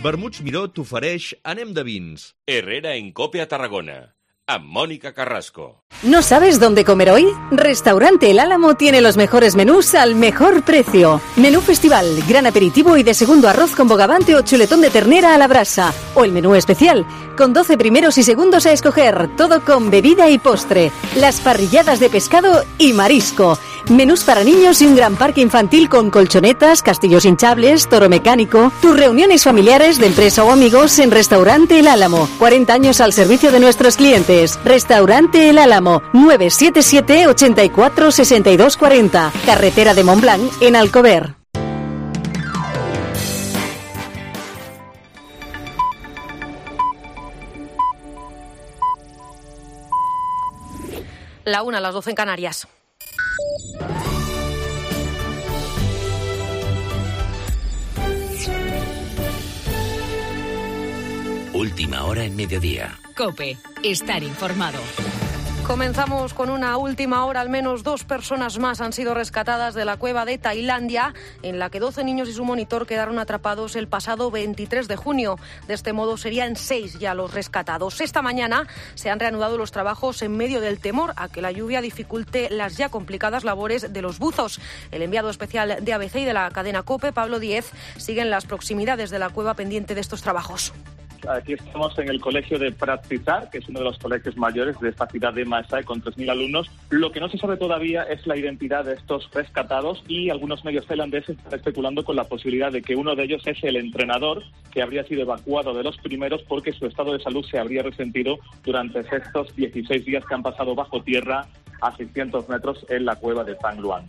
Vermuts Miró t'ofereix Anem de vins. Herrera en COPE a Tarragona. Amb Mónica Carrasco. ¿No sabes dónde comer hoy? Restaurante El Álamo tiene los mejores menús al mejor precio. Menú festival, gran aperitivo y de segundo arroz con bogavante o chuletón de ternera a la brasa. O el menú especial, con 12 primeros y segundos a escoger, todo con bebida y postre. Las parrilladas de pescado y marisco. Menús para niños y un gran parque infantil con colchonetas, castillos hinchables, toro mecánico. Tus reuniones familiares de empresa o amigos en Restaurante El Álamo. 40 años al servicio de nuestros clientes. Restaurante El Álamo, 977 84 62 40. Carretera de Montblanc, en Alcover. La 1, las 12 en Canarias. Última hora en mediodía. COPE. Estar informado. Comenzamos con una última hora. Al menos 2 personas más han sido rescatadas de la cueva de Tailandia, en la que 12 niños y su monitor quedaron atrapados el pasado 23 de junio. De este modo serían 6 ya los rescatados. Esta mañana se han reanudado los trabajos en medio del temor a que la lluvia dificulte las ya complicadas labores de los buzos. El enviado especial de ABC y de la cadena COPE, Pablo Díez, sigue en las proximidades de la cueva pendiente de estos trabajos. Aquí estamos en el colegio de Pratzizar, que es uno de los colegios mayores de esta ciudad de Maesae, con 3.000 alumnos. Lo que no se sabe todavía es la identidad de estos rescatados, y algunos medios tailandeses están especulando con la posibilidad de que uno de ellos es el entrenador, que habría sido evacuado de los primeros porque su estado de salud se habría resentido durante estos 16 días que han pasado bajo tierra a 600 metros en la cueva de Tang Luang.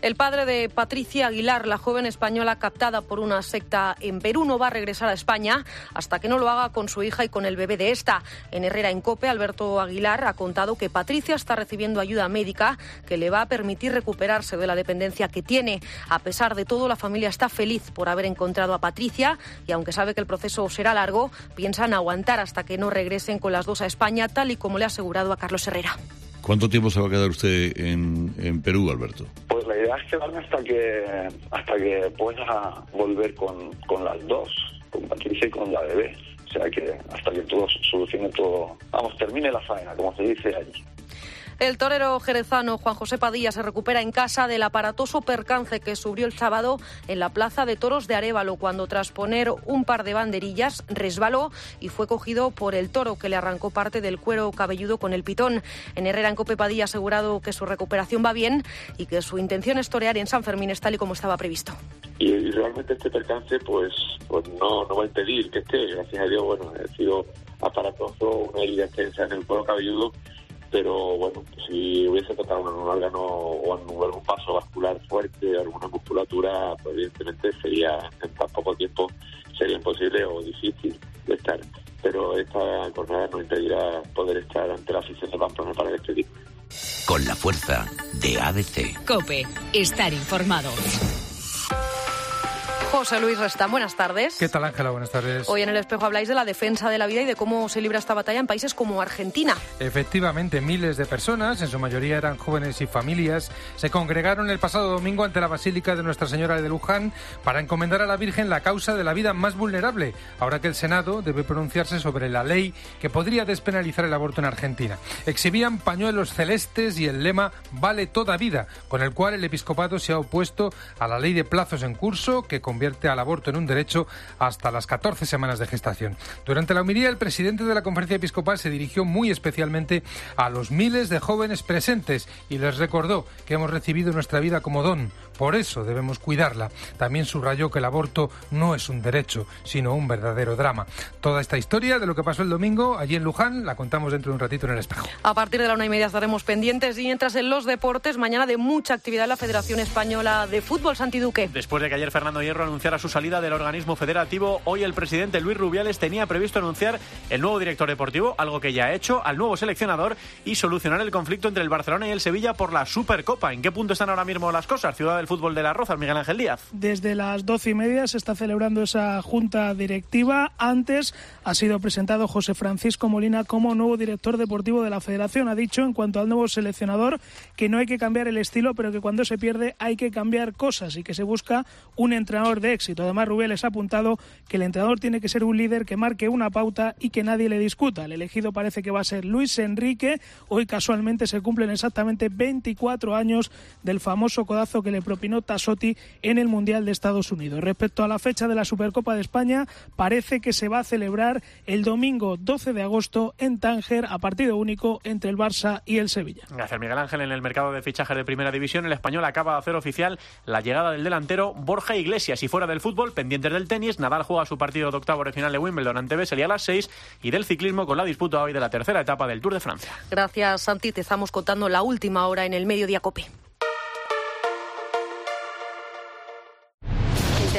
El padre de Patricia Aguilar, la joven española captada por una secta en Perú, no va a regresar a España hasta que no lo haga con su hija y con el bebé de esta. En Herrera en COPE, Alberto Aguilar ha contado que Patricia está recibiendo ayuda médica que le va a permitir recuperarse de la dependencia que tiene. A pesar de todo, la familia está feliz por haber encontrado a Patricia y, aunque sabe que el proceso será largo, piensan aguantar hasta que no regresen con las 2 a España, tal y como le ha asegurado a Carlos Herrera. ¿Cuánto tiempo se va a quedar usted en Perú, Alberto? Pues la idea es quedarme hasta que pueda volver con las 2, con Patricia y con la bebé. O sea que hasta que todo solucione todo, termine la faena, como se dice allí. El torero jerezano Juan José Padilla se recupera en casa del aparatoso percance que sufrió el sábado en la Plaza de Toros de Arévalo, cuando tras poner un par de banderillas resbaló y fue cogido por el toro, que le arrancó parte del cuero cabelludo con el pitón. En Herrera en COPE, Padilla ha asegurado que su recuperación va bien y que su intención es torear en San Fermín, tal y como estaba previsto. Y realmente este percance pues no va a impedir que esté. Gracias a Dios, ha sido aparatoso, una herida extensa en el cuero cabelludo, pero si hubiese tocado un órgano o algún paso vascular fuerte, alguna musculatura, pues evidentemente en tan poco tiempo sería imposible o difícil de estar. Pero esta jornada nos impedirá poder estar ante la afición de Pamplona para despedir. Con la fuerza de ABC. COPE. Estar informado. José Luis Restán, buenas tardes. ¿Qué tal, Ángela? Buenas tardes. Hoy en El Espejo habláis de la defensa de la vida y de cómo se libra esta batalla en países como Argentina. Efectivamente, miles de personas, en su mayoría eran jóvenes y familias, se congregaron el pasado domingo ante la Basílica de Nuestra Señora de Luján para encomendar a la Virgen la causa de la vida más vulnerable, ahora que el Senado debe pronunciarse sobre la ley que podría despenalizar el aborto en Argentina. Exhibían pañuelos celestes y el lema «Vale toda vida», con el cual el episcopado se ha opuesto a la ley de plazos en curso que convierte al aborto en un derecho hasta las 14 semanas de gestación. Durante la homilía, el presidente de la Conferencia Episcopal se dirigió muy especialmente a los miles de jóvenes presentes y les recordó que hemos recibido nuestra vida como don, por eso debemos cuidarla. También subrayó que el aborto no es un derecho, sino un verdadero drama. Toda esta historia de lo que pasó el domingo allí en Luján la contamos dentro de un ratito en El Espejo. A partir de la 1:30 estaremos pendientes, y mientras en los deportes, mañana de mucha actividad en la Federación Española de Fútbol. Santi Duque. Después de que ayer Fernando Hierro anunciara su salida del organismo federativo, hoy el presidente Luis Rubiales tenía previsto anunciar el nuevo director deportivo, algo que ya ha hecho, al nuevo seleccionador y solucionar el conflicto entre el Barcelona y el Sevilla por la Supercopa. ¿En qué punto están ahora mismo las cosas? Ciudad del Fútbol de Las Rozas, Miguel Ángel Díaz. Desde las 12:30 se está celebrando esa junta directiva. Antes ha sido presentado José Francisco Molina como nuevo director deportivo de la Federación. Ha dicho, en cuanto al nuevo seleccionador, que no hay que cambiar el estilo, pero que cuando se pierde hay que cambiar cosas y que se busca un entrenador de éxito. Además, Rubiales ha apuntado que el entrenador tiene que ser un líder que marque una pauta y que nadie le discuta. El elegido parece que va a ser Luis Enrique. Hoy casualmente se cumplen exactamente 24 años del famoso codazo que le propinó Tassotti en el Mundial de Estados Unidos. Respecto a la fecha de la Supercopa de España, parece que se va a celebrar el domingo 12 de agosto en Tánger, a partido único entre el Barça y el Sevilla. Gracias, Miguel Ángel. En el mercado de fichajes de Primera División, el Español acaba de hacer oficial la llegada del delantero Borja Iglesias. Y fuera del fútbol, pendientes del tenis, Nadal juega su partido de octavos de final de Wimbledon ante Vesely a las 6, y del ciclismo con la disputa hoy de la tercera etapa del Tour de Francia. Gracias, Santi. Te estamos contando la última hora en el Mediodía COPE.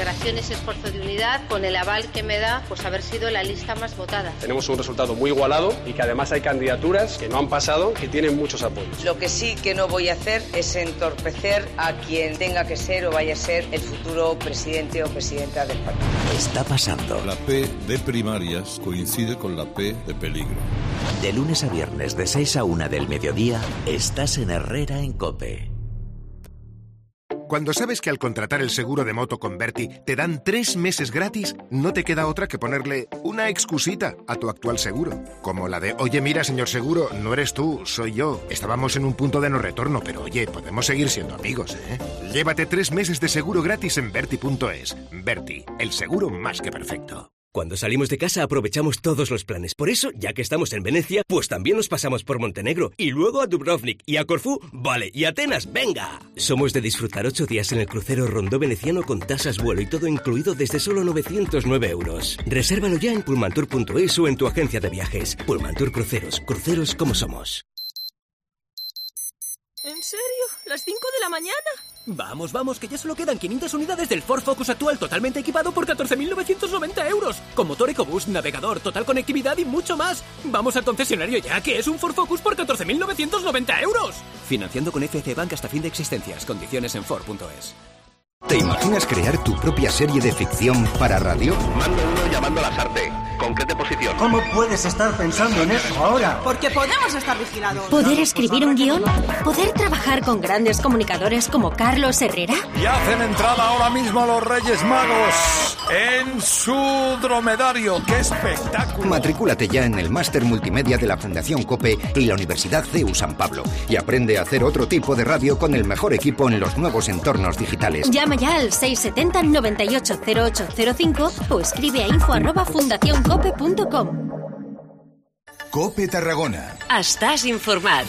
Integración es esfuerzo de unidad, con el aval que me da pues haber sido la lista más votada. Tenemos un resultado muy igualado y que además hay candidaturas que no han pasado, que tienen muchos apoyos. Lo que sí que no voy a hacer es entorpecer a quien tenga que ser o vaya a ser el futuro presidente o presidenta del partido. Está pasando. La P de primarias coincide con la P de peligro. De lunes a viernes de 6 a 1 del mediodía, estás en Herrera en COPE. Cuando sabes que al contratar el seguro de moto con Berti te dan 3 meses gratis, no te queda otra que ponerle una excusita a tu actual seguro. Como la de, oye, mira, señor seguro, no eres tú, soy yo. Estábamos en un punto de no retorno, pero oye, podemos seguir siendo amigos, ¿eh? Llévate 3 meses de seguro gratis en Berti.es. Berti, el seguro más que perfecto. Cuando salimos de casa aprovechamos todos los planes. Por eso, ya que estamos en Venecia, pues también nos pasamos por Montenegro. Y luego a Dubrovnik y a Corfú, vale, y Atenas, ¡venga! Somos de disfrutar 8 días en el crucero Rondó veneciano con tasas, vuelo y todo incluido desde solo 909 euros. Resérvalo ya en pullmantour.es o en tu agencia de viajes. Pullmantur Cruceros, cruceros como somos. ¿En serio? ¿Las 5 de la mañana? Vamos, vamos, que ya solo quedan 500 unidades del Ford Focus actual totalmente equipado por 14.990 euros. Con motor EcoBoost, navegador, total conectividad y mucho más. Vamos al concesionario ya, que es un Ford Focus por 14.990 euros. Financiando con FC Bank hasta fin de existencias. Condiciones en Ford.es. ¿Te imaginas crear tu propia serie de ficción para radio? Mando uno llamando a Lasarte. ¿Con qué posición? ¿Cómo puedes estar pensando en eso ahora? Porque podemos estar vigilados. ¿Poder escribir un guión? ¿Poder trabajar con grandes comunicadores como Carlos Herrera? Y hacen entrada ahora mismo los Reyes Magos en su dromedario. ¡Qué espectáculo! Matricúlate ya en el Máster Multimedia de la Fundación COPE y la Universidad CEU San Pablo y aprende a hacer otro tipo de radio con el mejor equipo en los nuevos entornos digitales. Llama ya al 670 98 0805 o escribe a info@fundacioncope.com. COPE Tarragona. Estàs informat.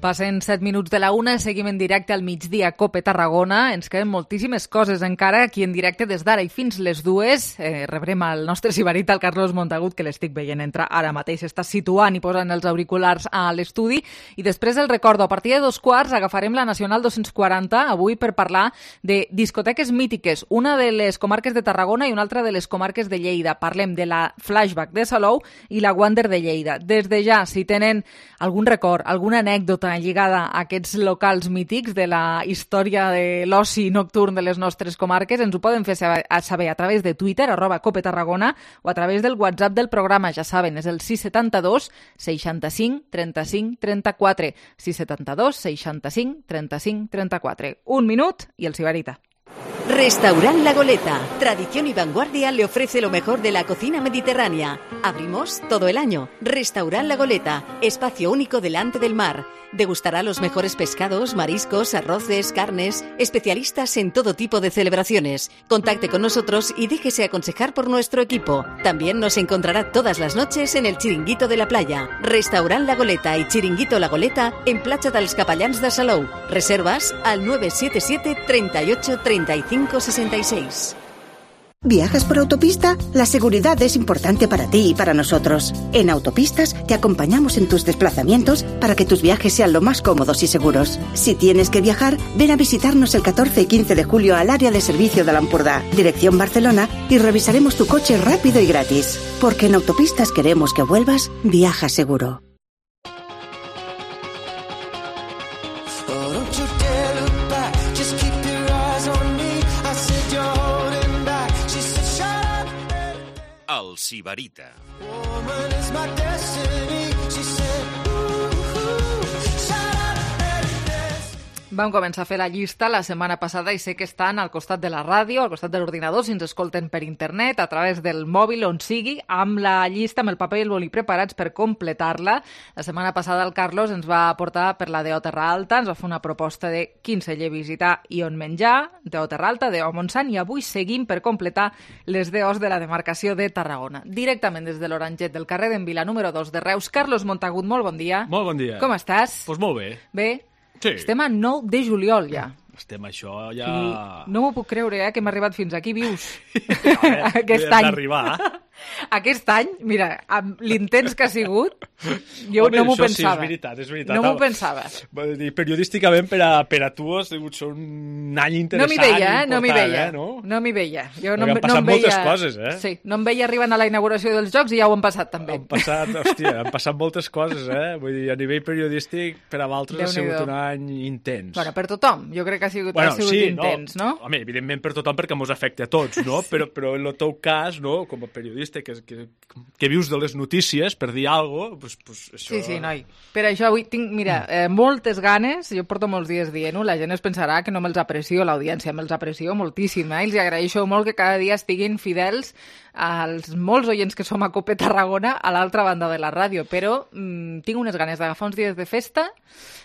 Passen 7 minuts de la 1, seguim en directe al migdia COPE Tarragona. Ens queden moltíssimes coses encara aquí en directe des d'ara i fins les 2. Rebrem al nostre sibarita, el Carlos Montagut, que l'estic veient entrar ara mateix. Està situant i posant els auriculars a l'estudi. I després el recordo, a partir de 2:15 agafarem la Nacional 240 avui per parlar de discoteques mítiques, una de les comarques de Tarragona i una altra de les comarques de Lleida. Parlem de la Flashback de Salou i la Wander de Lleida. Des de ja, si tenen algun record, alguna anècdota lligada a aquests locals mítics de la història de l'oci nocturn de les nostres comarques, ens ho poden fer saber a través de Twitter, @COPE Tarragona, o a través del WhatsApp del programa, ja saben, és el 672 65 35 34. 672 65 35 34. Un minut i el sibarita. Restaurant La Goleta, tradición y vanguardia, le ofrece lo mejor de la cocina mediterránea. Abrimos todo el año. Restaurant La Goleta, espacio único delante del mar. Degustará los mejores pescados, mariscos, arroces, carnes, especialistas en todo tipo de celebraciones. Contacte con nosotros y déjese aconsejar por nuestro equipo. También nos encontrará todas las noches en el Chiringuito de la Playa. Restaurant La Goleta y Chiringuito La Goleta en Platja dels Capellans de Salou. Reservas al 977 38 35 66. ¿Viajas por autopista? La seguridad es importante para ti y para nosotros. En Autopistas te acompañamos en tus desplazamientos para que tus viajes sean lo más cómodos y seguros. Si tienes que viajar, ven a visitarnos el 14 y 15 de julio al área de servicio de l'Empordà, dirección Barcelona, y revisaremos tu coche rápido y gratis. Porque en Autopistas queremos que vuelvas, viaja seguro. El sibarita. Vam començar a fer la llista la setmana passada i sé que estan al costat de la ràdio, al costat de l'ordinador, si ens escolten per internet, a través del mòbil, on sigui, amb la llista, amb el paper i el boli preparats per completar-la. La setmana passada el Carlos ens va portar per la DO Terra Alta, ens va fer una proposta de quin celler visitar i on menjar, DO Terra Alta, DO Montsant, i avui seguim per completar les DOs de la demarcació de Tarragona. Directament des de l'Oranget del carrer d'en Vila, número 2 de Reus. Carlos Montagut, molt bon dia. Molt bon dia. Com estàs? Doncs molt bé. Bé? Sí. Estem a 9 de juliol ja. Estem això ja... I no m'ho puc creure, que hem arribat fins aquí vius. Aquest any. D'arribar. Aquest any, mira, amb l'intens que ha sigut, jo no m'ho pensava. Sí, és veritat. No m'ho pensava. Periodísticament, per a tu ha sigut un any interessant. No m'hi veia. No m'hi veia. Jo no han passat moltes coses, eh? Sí, no em veia arribant a la inauguració dels Jocs i ja ho han passat també. Han passat moltes coses, eh? Vull dir, a nivell periodístic, per a altres ha sigut un any intens. Bueno, per tothom, jo crec que ha sigut intens, no? Home, evidentment per tothom perquè mos afecta a tots, no? Però en el teu cas, no? Com a periodista que vius de les notícies, per dir alguna cosa, pues això... Sí, noi. Per això avui tinc, mira, moltes ganes, jo porto molts dies dient-ho, la gent es pensarà que no me'ls aprecio, l'audiència me'ls aprecio moltíssim, i els agraeixo molt que cada dia estiguin fidels als molts oients que som a COPE Tarragona a l'altra banda de la ràdio, però tinc unes ganes d'agafar uns dies de festa,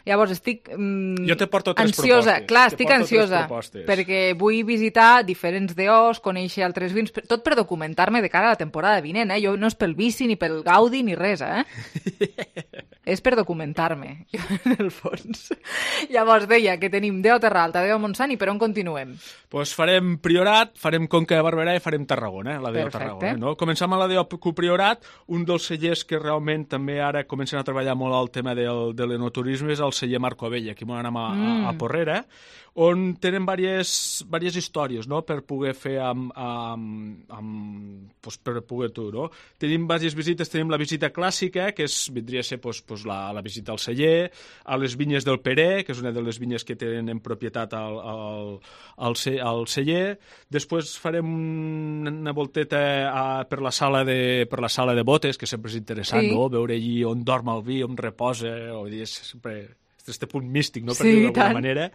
llavors estic jo te porto ansiosa. Propostes. Clar, estic ansiosa, perquè vull visitar diferents DOs, conèixer altres vins, tot per documentar-me de cara a la temporada vinent, eh? Jo no és pel vici, ni pel gaudi, ni res, eh? És per documentar-me, en el fons. Llavors deia que tenim DO Terra Alta, DO Montsant, i per on continuem? Doncs farem Priorat, farem Conca de Barberà i farem Tarragona, la DO Tarragona. No? Comencem a la DO Priorat, un dels cellers que realment també ara comencen a treballar molt el tema de l'enoturisme és el celler Marco Abella, aquí m'ho anem a Porrera, on tenen diverses històries, no?, per poder fer per poder tu, no? Tenim diverses visites, tenim la visita clàssica, que vindria a ser la visita al celler, a les vinyes del Peré, que és una de les vinyes que tenen en propietat al celler. Després farem una volteta per la sala de botes, que sempre és interessant, no?, veure allí on dorm el vi, on reposa, és sempre este punt místic, no?, per dir-ho d'alguna manera.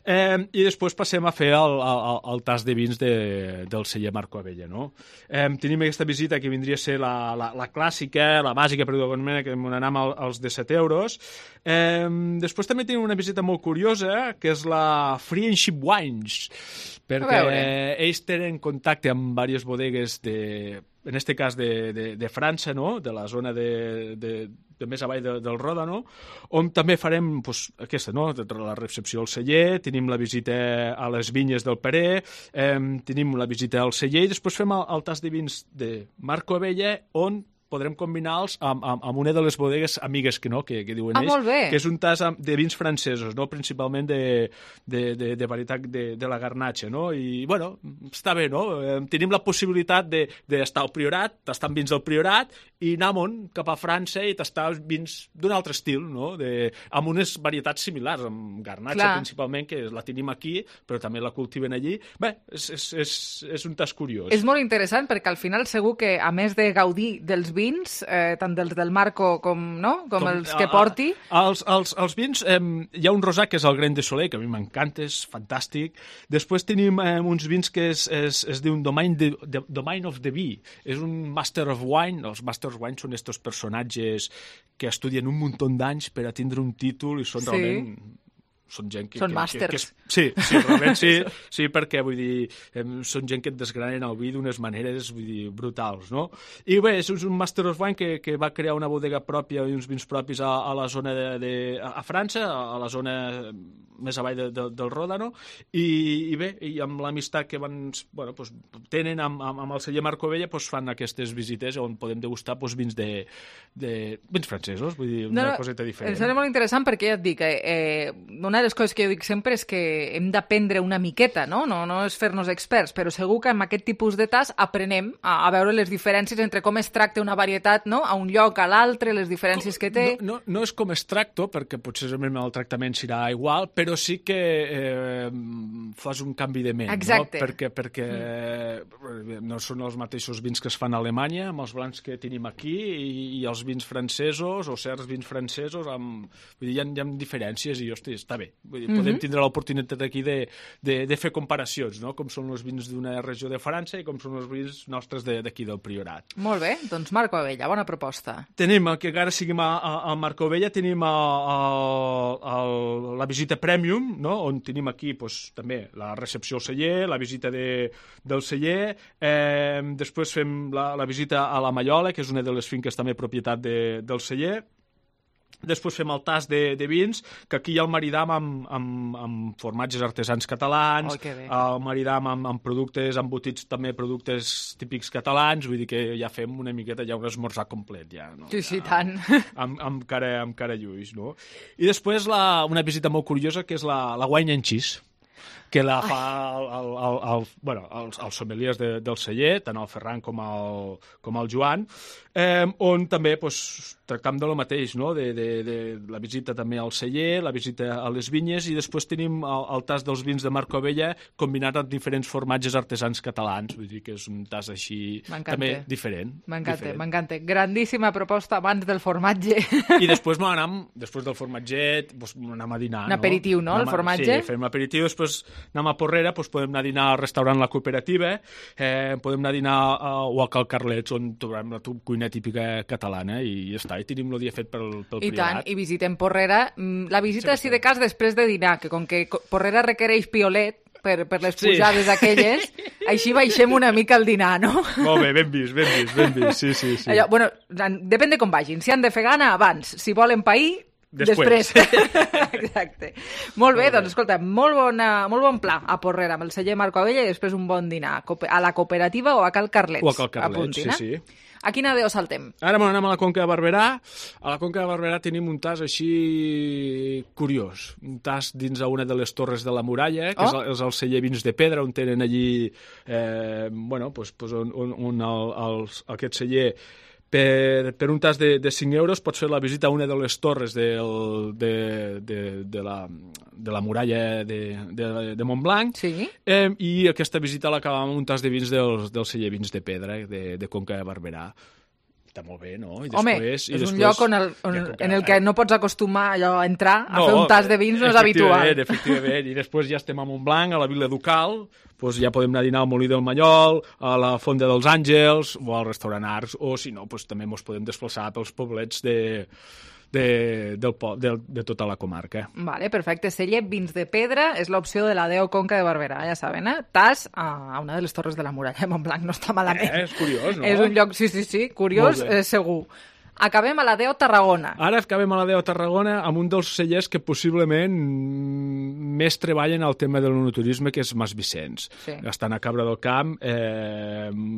I després passem a fer el tas de vins del celler Marco Abella, no? Tenim aquesta visita que vindria a ser la clàssica, la bàsica, per dir-ho d'alguna manera, que m'anam als de 7 euros. Després també tenim una visita molt curiosa, que és la Friendship Wines, perquè ells tenen contacte amb diverses bodegues en aquest cas de França, no?, de la zona de més avall del Ródano, on també farem aquesta, no?, la recepció al celler, tenim la visita a les vinyes del Peré, tenim la visita al celler i després fem el tas de vins de Marco Abella, on podrem combinar-los amb una de les bodegues amigues que diuen ells, que és un tas de vins francesos, no?, principalment de varietat de la Garnatxa, no?, i, bueno, està bé, no?, tenim la possibilitat d'estar al Priorat, tastar vins del Priorat, i anar cap a França i tastar vins d'un altre estil, no?, amb unes varietats similars, amb Garnatxa principalment, que la tenim aquí, però també la cultiven allí. Bé, és un tas curiós. És molt interessant perquè al final segur que, a més de gaudir dels vins, tant dels del Marco com els que porti... Els vins, hi ha un rosà que és el Grain de Soleil, que a mi m'encanta, és fantàstic. Després tenim uns vins que es diuen Domain of the Bee. És un Master of Wine. Els Master of Wine són estos personatges que estudien un munt d'anys per a tindre un títol i són realment... Són gent que... Són màsters. Sí, realment sí, perquè, vull dir, són gent que et desgranen el vi d'unes maneres, vull dir, brutals, no? I bé, és un Master of Wine que va crear una bodega pròpia i uns vins propis a la zona a França, a la zona més avall del Ródano, i bé, i amb l'amistat que tenen amb el celler Marco Abella, fan aquestes visites on podem degustar vins vins francesos, vull dir, una coseta diferent. Em sembla molt interessant perquè ja et dic, una de les coses que jo dic sempre és que hem d'aprendre una miqueta, no és fer-nos experts, però segur que amb aquest tipus de tas aprenem a veure les diferències entre com es tracta una varietat, no?, a un lloc, a l'altre, les diferències que té. No és com es tracta, perquè potser el tractament serà igual, però sí que fas un canvi de ment. Exacte. No? Perquè no són els mateixos vins que es fan a Alemanya, amb els blancs que tenim aquí, i els vins francesos, o certs vins francesos, vull dir, hi ha diferències i, hosti, està bé. Vull dir, podem tindre l'oportunitat aquí de fer comparacions, no?, com són els vins d'una regió de França i com són els vins nostres d'aquí del Priorat. Molt bé, doncs Marco Abella, bona proposta. Tenim, que encara siguem a Marco Abella, tenim la visita Premium, no?, on tenim aquí també la recepció al celler, la visita del celler, després fem la visita a la Mallola, que és una de les finques també propietat del celler, Després fem el tast de vins, que aquí ja el maridam amb formatges artesans catalans, el maridam amb productes embotits, també productes típics catalans, vull dir que ja fem una miqueta ja un esmorzar complet, ja. No? Sí, tant. Amb cara lluix, no? I després una visita molt curiosa, que és la wine and cheese, que la fa els sommeliers del celler, tant el Ferran com el Joan, on també tractam de lo mateix, no? de la visita també al celler, la visita a les vinyes, i després tenim el tast dels vins de Marco Vella combinat amb diferents formatges artesans catalans, vull dir que és un tast així també diferent. M'encanta. Grandíssima proposta abans del formatge. I després després del formatget, anem a dinar. Un aperitiu, no? El formatge? Sí, fem l'aperitiu, després anem a Porrera, podem anar a dinar al restaurant La Cooperativa, podem anar a dinar o a Cal Carlets, on trobem la cuina típica catalana, i ja està, i tenim el dia fet pel Priorat. I tant, i visitem Porrera. La visita, si de cas, després de dinar, que com que Porrera requereix piolet per les pujades aquelles, així baixem una mica el dinar, no? Molt bé, ben vist, sí. Allò, bueno, depèn de com vagin. Si han de fer gana, abans. Si volen pair, després. Exacte. Molt bé, doncs escolta, molt bon pla a Porrera, amb el celler Marco Abella, i després un bon dinar a la Cooperativa o a Cal Carlets. O a Cal Carlets, sí. A quina adéu saltem? Ara anem a la Conca de Barberà. A la Conca de Barberà tenim un tas així curiós. Un tas dins una de les torres de la muralla, que és el celler Vins de Pedra, on tenen allí on aquest celler per un tas de 5 euros pots fer la visita a una de les torres de la muralla de Montblanc, i aquesta visita l'acabam amb un tas de vins del celler Vins de Pedra de Conca de Barberà. Està molt bé, no? És un lloc en el que no pots acostumar a entrar a fer un tas de vins, no és habitual. Efectivament, i després ja estem a Montblanc, a la Vila Ducal, ja podem anar a dinar al Molí del Mallol, a la Fonda dels Àngels, o al restaurant Arcs, o si no, també ens podem desplaçar pels poblets de tota la comarca. Vale, perfecte. Celler Vins de Pedra és l'opció de la Deo Conca de Barberà, ja saben, Tas a una de les torres de la muralla de Montblanc, no està malament. És curiós, no? És un lloc, sí, curiós, segur. Acabem a la Deo Tarragona. Ara acabem a la Deo Tarragona amb un dels cellers que possiblement més treballen al tema de l'enoturisme, que és Mas Vicenç. Estan a Cabra del Camp,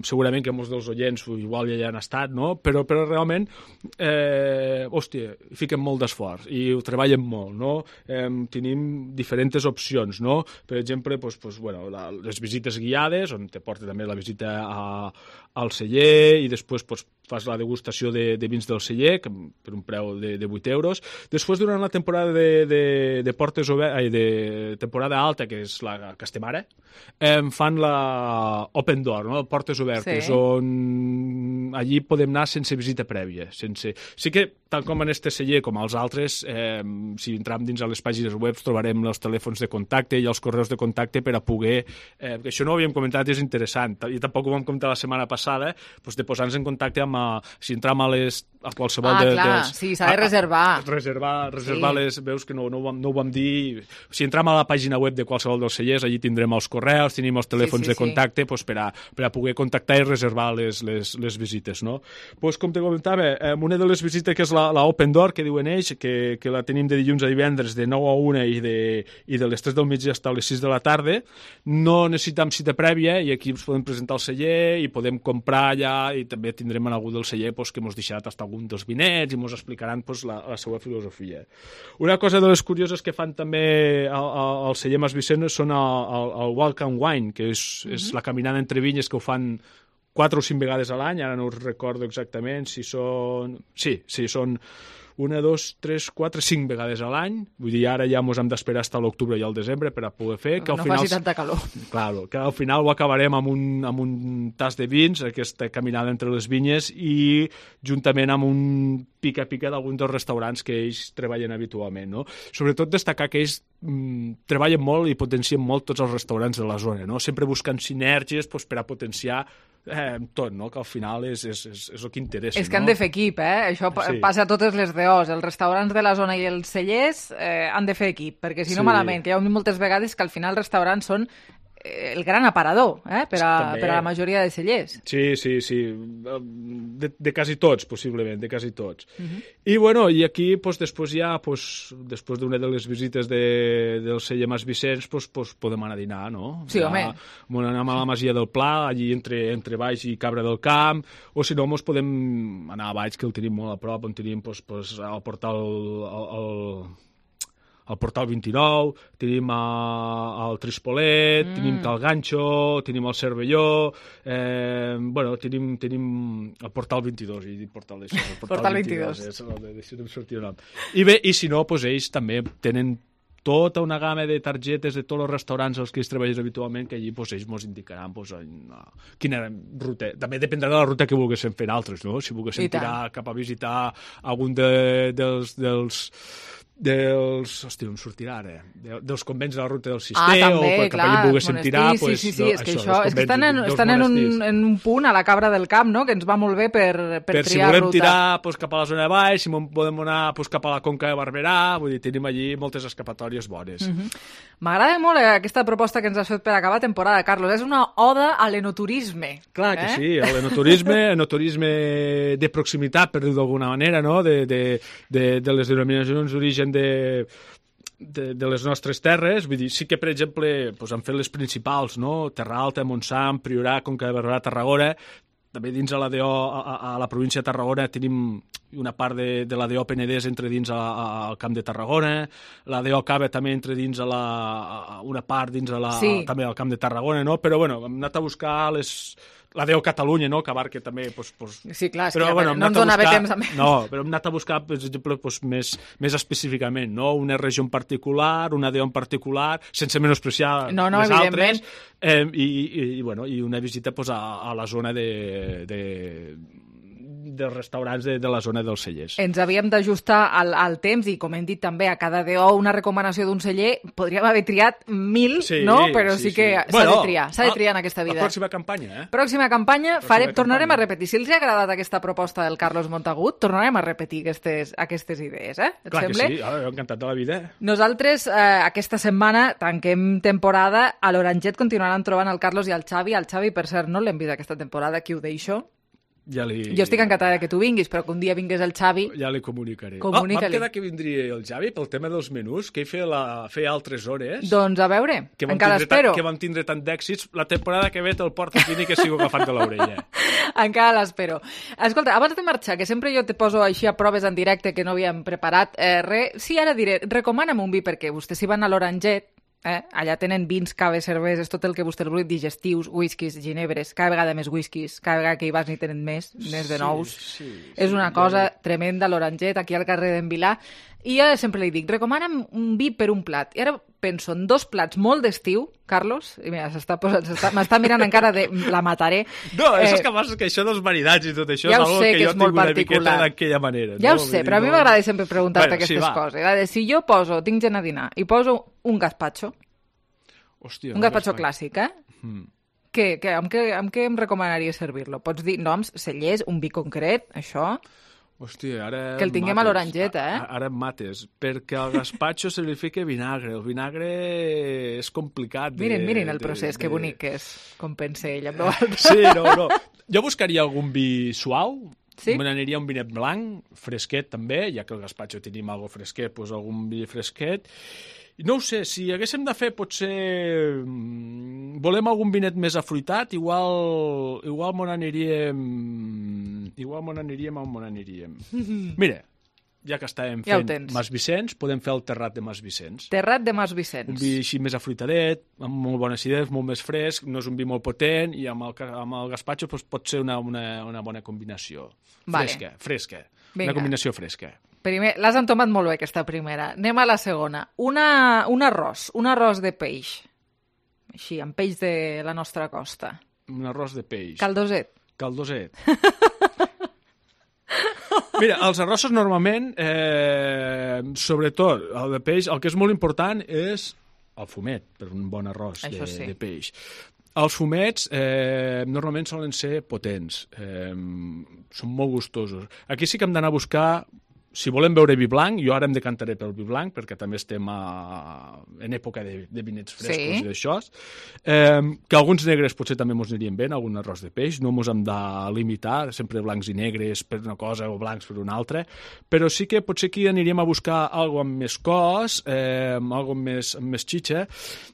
segurament que molts dels oients igual ja hi han estat, no? Però realment, fiquen molt d'esforç i ho treballen molt, no? Tenim diferents opcions, no? Per exemple, les visites guiades, on te porta també la visita al celler, i després fas la degustació de vins del celler, per un preu de 8 euros. Després, durant la temporada de portes obertes, de temporada alta, que és la que estem ara, fan la Open Door, no? Portes obertes, on allí podem anar sense visita prèvia. Sí que, tal com en este celler com als altres, si entram dins a les pàgines web trobarem els telèfons de contacte i els correus de contacte per a poder... que això no ho havíem comentat i és interessant, i tampoc ho vam comentar la setmana passada, de posar-nos en contacte amb... Si entram a qualsevol sí, s'ha de reservar. Reservar les... Veus que no ho vam dir... Si entram a la pàgina web de qualsevol dels cellers, allí tindrem els correus, tenim els telèfons de contacte per a poder contactar i reservar les visites, no? Com te comentava, una de les visites que és la Open Door, que diuen ells, que la tenim de dilluns a divendres de 9 a 1 i de les 3 del migdia fins a les 6 de la tarda, no necessitem cita prèvia, i aquí ens podem presentar al celler i podem comprar allà, i també tindrem en algú del celler que mos deixarà tastar algun dels vinets i mos explicaran la seva filosofia. Una cosa de les curioses que fan també al celler Mas Vicenç són el Walk and Wine, que és la caminada entre vinyes, que ho fan 4 o 5 vegades a l'any, ara no us recordo exactament si són... Sí, són 1, 2, 3, 4, 5 vegades a l'any. Vull dir, ara ja ens hem d'esperar fins a l'octubre i al desembre per a poder fer. Que no faci tanta calor. Claro, que al final ho acabarem amb un tas de vins, aquesta caminada entre les vinyes, i juntament amb un pica-pica d'alguns dels restaurants que ells treballen habitualment, no? Sobretot destacar que ells treballen molt i potencien molt tots els restaurants de la zona, no? Sempre buscant sinergies per a potenciar tot, no? Que al final és el que interessa. És que han de fer equip, això passa a totes les DOs. Els restaurants de la zona i els cellers han de fer equip, perquè si no malament, que hi ha moltes vegades que al final els restaurants són el gran aparador per a la majoria de cellers. Sí. De quasi tots, possiblement, de quasi tots. I, bueno, i aquí, després ja, després d'una de les visites del celler Mas Vicenç, podem anar a dinar, no? Sí, home. Anem a la Masia del Pla, allí entre Baix i Cabra del Camp, o si no, podem anar a Baix, que el tenim molt a prop, on tenim al portal al Portal 29, tenim el Trispolet, tenim Cal Ganxo, tenim el Cervelló, tenim el Portal 22, he dit Portal 22. Portal 22. No em sortia el nom. I bé, i si no, ells també tenen tota una gamma de targetes de tots els restaurants als que ells treballen habitualment, que allí ells ens indicaran quina ruta. També dependrà de la ruta que volguéssim fer altres, no? Si volguéssim tirar cap a visitar algun dels hòstia, no em sortirà ara, dels convents de la ruta del Cister, també, o per cap allà volguéssim tirar, sí, és que estan en un punt a la Cabra del Camp, no?, que ens va molt bé per triar ruta. Si volem tirar cap a la zona de baix, si podem anar cap a la Conca de Barberà, vull dir, tenim allí moltes escapatòries bones. M'agrada molt aquesta proposta que ens has fet per acabar temporada, Carlos. És una oda a l'enoturisme. Clar que sí, a l'enoturisme de proximitat, per dir-ho d'alguna manera, no?, de les denominacions d'origen de les nostres terres. Vull dir, sí que, per exemple, han fet les principals, no?, Terra Alta, Montsant, Priorat, Conca de Barberà, Tarragona. També dins a l'ADO, a la província de Tarragona, tenim una part de l'ADO Penedès entre dins al Camp de Tarragona, l'ADO Cava també entre dins una part dins també al Camp de Tarragona, no? Però, bueno, hem anat a buscar l'ADO Catalunya, no?, que abarca també... Sí, clar, és que no ens donava temps a més. No, però hem anat a buscar, per exemple, més específicament, no?, una regió en particular, una ADO en particular, sense menospreciar les altres, i una visita a la zona dels restaurants de la zona dels cellers. Ens havíem d'ajustar al temps i, com hem dit també, a cada DO una recomanació d'un celler. Podríem haver triat 1000, no? Però sí que s'ha de triar en aquesta vida. La pròxima campanya, Pròxima campanya, tornarem a repetir. Si els ha agradat aquesta proposta del Carlos Montagut, tornarem a repetir aquestes idees, Et Clar sembla? Que sí, encantat de la vida. Nosaltres, aquesta setmana, tanquem temporada. A l'Oranget continuaran trobant el Carlos i el Xavi. El Xavi, per cert, no l'hem vist aquesta temporada, aquí ho deixo. Jo estic encantada que tu vinguis, però que un dia vingués el Xavi... Ja li comunicaré. Vam quedar que vindria el Xavi pel tema dels menús, que ell feia altres hores. Doncs a veure, encara espero. Que vam tindre tant d'èxits. La temporada que ve te'l porta aquí ni que sigo agafant de l'orella. Encara l'espero. Escolta, abans de marxar, que sempre jo te poso així a proves en directe que no havíem preparat, sí, ara diré, recomana'm un vi, perquè vostès si van a l'Oranget, allà tenen vins, caves, cerveses, tot el que vostè vulgui, digestius, whiskies, ginebres, cada vegada més whiskies, cada vegada que hi vas n'hi tenen més de nous. És una cosa tremenda, l'Oranget, aquí al carrer d'en Vilà. I jo sempre li dic, recomana'm un vi per un plat. I ara penso en 2 plats molt d'estiu, Carlos, i mira, m'està mirant encara de la mataré. No, és que passa que això dels marinats i tot això ja és algo que jo tinc una miqueta d'aquella manera. Ja ho sé, però a mi m'agrada sempre preguntar-te aquestes coses. Si jo tinc gent a dinar, i poso un gazpacho, un gazpacho clàssic, amb què em recomanaries servir-lo? Pots dir noms, cellers, un vi concret, això... Hòstia, ara que el tinguem a l'Oranget, Ara em mates, perquè al gazpacho se li fica vinagre. El vinagre és complicat. Miren el procés, que bonic que és, com pensa ell amb nosaltres. Sí, no. Jo buscaria algun vi suau, me n'aniria un vinet blanc, fresquet també, ja que el gazpacho tenim algo fresquet, doncs algun vi fresquet. I no ho sé, si haguéssim de fer, potser volem algun vinet més afruitat, igual m'on aniríem... Mira, ja que estàvem fent Mas Vicenç, podem fer el Terrat de Mas Vicenç. Terrat de Mas Vicenç. Un vi així més afruitadet, amb molt bona acidesa, molt més fresc, no és un vi molt potent, i amb el gazpacho pot ser una bona combinació. Fresca. Una combinació fresca. Primer, l'has entomat molt bé, aquesta primera. Anem a la segona. Un arròs de peix. Així, amb peix de la nostra costa. Un arròs de peix. Caldoset. Mira, els arrossos normalment, sobretot el de peix, el que és molt important és el fumet, per un bon arròs de peix. Els fumets normalment solen ser potents, són molt gustosos. Aquí sí que hem d'anar a buscar si volem beure vi blanc, jo ara em decantaré pel vi blanc, perquè també estem en època de vinets frescos i d'això. Que alguns negres potser també mos anirien bé, algun arròs de peix, no mos hem de limitar, sempre blancs i negres per una cosa o blancs per una altra, però sí que potser aquí aniríem a buscar alguna amb més cos, alguna amb més xitxa.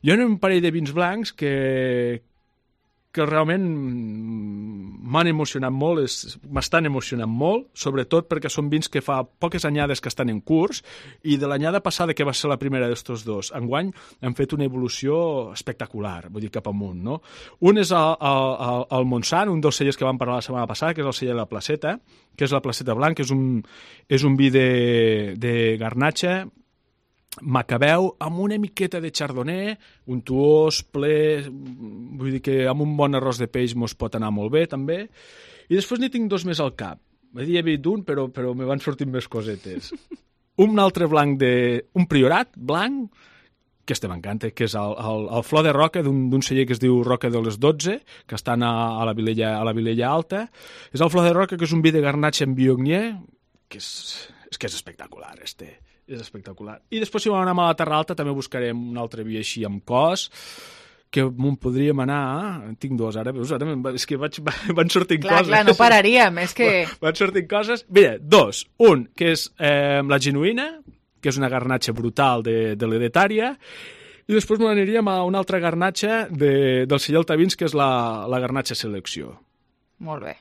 Jo hi ha un parell de vins blancs que realment m'han emocionat molt, m'estan emocionant molt, sobretot perquè són vins que fa poques anyades que estan en curs, i de l'anyada passada, que va ser la primera d'estos dos, enguany han fet una evolució espectacular, vull dir, cap amunt, no? Un és el Montsant, un dels cellers que vam parlar la setmana passada, que és el celler de la Placeta, que és la Placeta Blanc, que és un vi de garnatxa, macabeu, amb una miqueta de chardonnay, untuós, ple, vull dir que amb un bon arròs de peix mos pot anar molt bé, també. I després n'hi tinc dos més al cap. Havia dit un, però me van sortir més cosetes. Un altre blanc un priorat blanc, que este m'encanta, que és el flor de roca d'un celler que es diu Roca de les 12, que estan a la Vilella Alta. És el flor de roca, que és un vi de garnatxa en Viognier, que és espectacular, és espectacular. I després, si anem a la Terra Alta, també buscarem un altre vi així amb cos, que m'on podríem anar... En tinc dos, ara, veus? Ara és que van sortint coses. Clar, no pararíem, és que... Van sortint coses. Mira, dos. Un, que és la genuïna, que és una garnatxa brutal de l'Hereditària, i després m'aniríem a una altra garnatxa del celler Altavins, que és la garnatxa Selecció. Molt bé.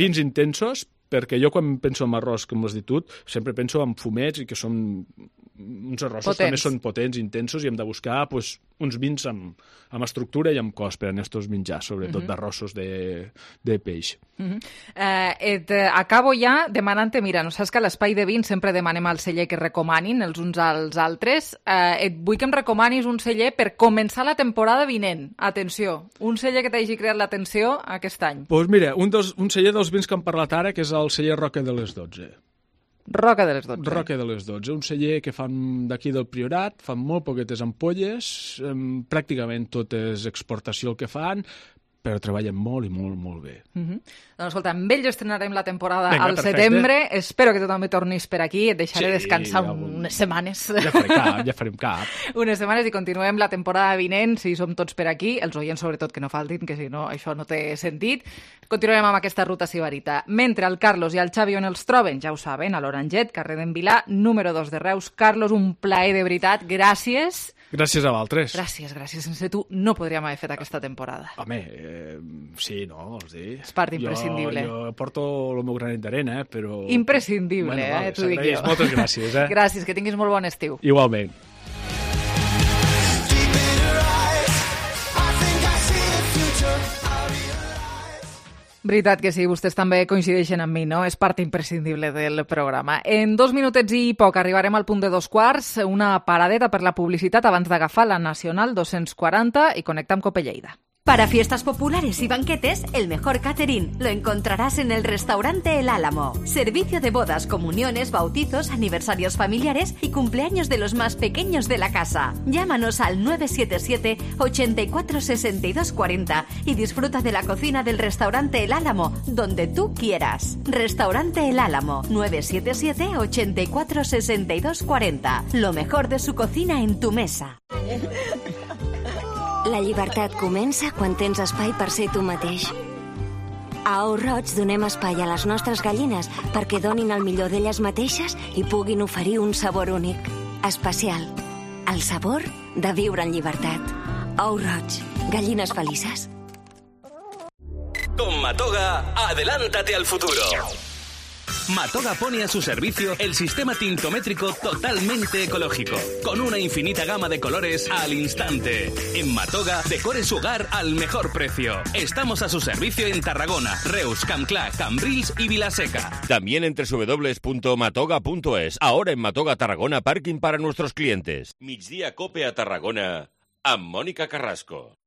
Vins intensos, perquè jo quan penso en arròs, com has dit tu, sempre penso en fumets i que són uns arrossos potents. També són potents, intensos, i hem de buscar uns vins amb estructura i amb cos per a estos menjars, sobretot d'arrossos de peix. Acabo ja demanant-te, mira, no saps que a l'Espai de Vins sempre demanem al celler que recomanin els uns als altres. Vull que em recomanis un celler per començar la temporada vinent. Atenció, un celler que t'hagi creat l'atenció aquest any. Doncs mira, un celler dels vins que hem parlat ara, que és el celler Roca de les 12. Roca de les 12. Roca de les 12. Un celler que fan d'aquí del Priorat, fan molt poquetes ampolles, pràcticament tot és exportació el que fan, però treballen molt i molt, molt bé. Doncs escolta, amb ell estrenarem la temporada al setembre. Espero que tu també tornis per aquí. Et deixaré descansar unes setmanes. Ja farem cap. Unes setmanes i continuem la temporada vinent, si som tots per aquí. Els oients, sobretot, que no faltin, que si no, això no té sentit. Continuem amb aquesta ruta sibarita. Mentre el Carlos i el Xavi on els troben, ja ho saben, a l'Oranget, carrer d'en Vilà, número 2 de Reus. Carlos, un plaer de veritat. Gràcies. Gràcies a vosaltres. Gràcies. Sense tu no podríem haver fet aquesta temporada. Home, sí, no, vols dir... És part imprescindible. Jo porto el meu granet d'arena, però... Imprescindible, t'ho dic jo. Moltes gràcies, Gràcies, que tinguis molt bon estiu. Igualment. Veritat que sí, vostès també coincideixen amb mi, no? És part imprescindible del programa. En 2 minutets i poc arribarem al punt de 2:15, una paradeta per la publicitat abans d'agafar la Nacional 240 i connectar amb Cope Lleida. Para fiestas populares y banquetes, el mejor catering lo encontrarás en el restaurante El Álamo. Servicio de bodas, comuniones, bautizos, aniversarios familiares y cumpleaños de los más pequeños de la casa. Llámanos al 977 84 62 40 y disfruta de la cocina del restaurante El Álamo, donde tú quieras. Restaurante El Álamo, 977 84 62 40. Lo mejor de su cocina en tu mesa. La llibertat comença quan tens espai per ser tu mateix. A Ou Roig donem espai a les nostres gallines perquè donin el millor d'elles mateixes i puguin oferir un sabor únic, especial. El sabor de viure en llibertat. Ou Roig, gallines felices. Con Matoga, adelántate al futuro. Matoga pone a su servicio el sistema tintométrico totalmente ecológico, con una infinita gama de colores al instante. En Matoga, decore su hogar al mejor precio. Estamos a su servicio en Tarragona, Reus, Campclà, Cambrils y Vilaseca. También en www.matoga.es. Ahora en Matoga Tarragona, parking para nuestros clientes. Migdia Cope a Tarragona, amb Mònica Carrasco.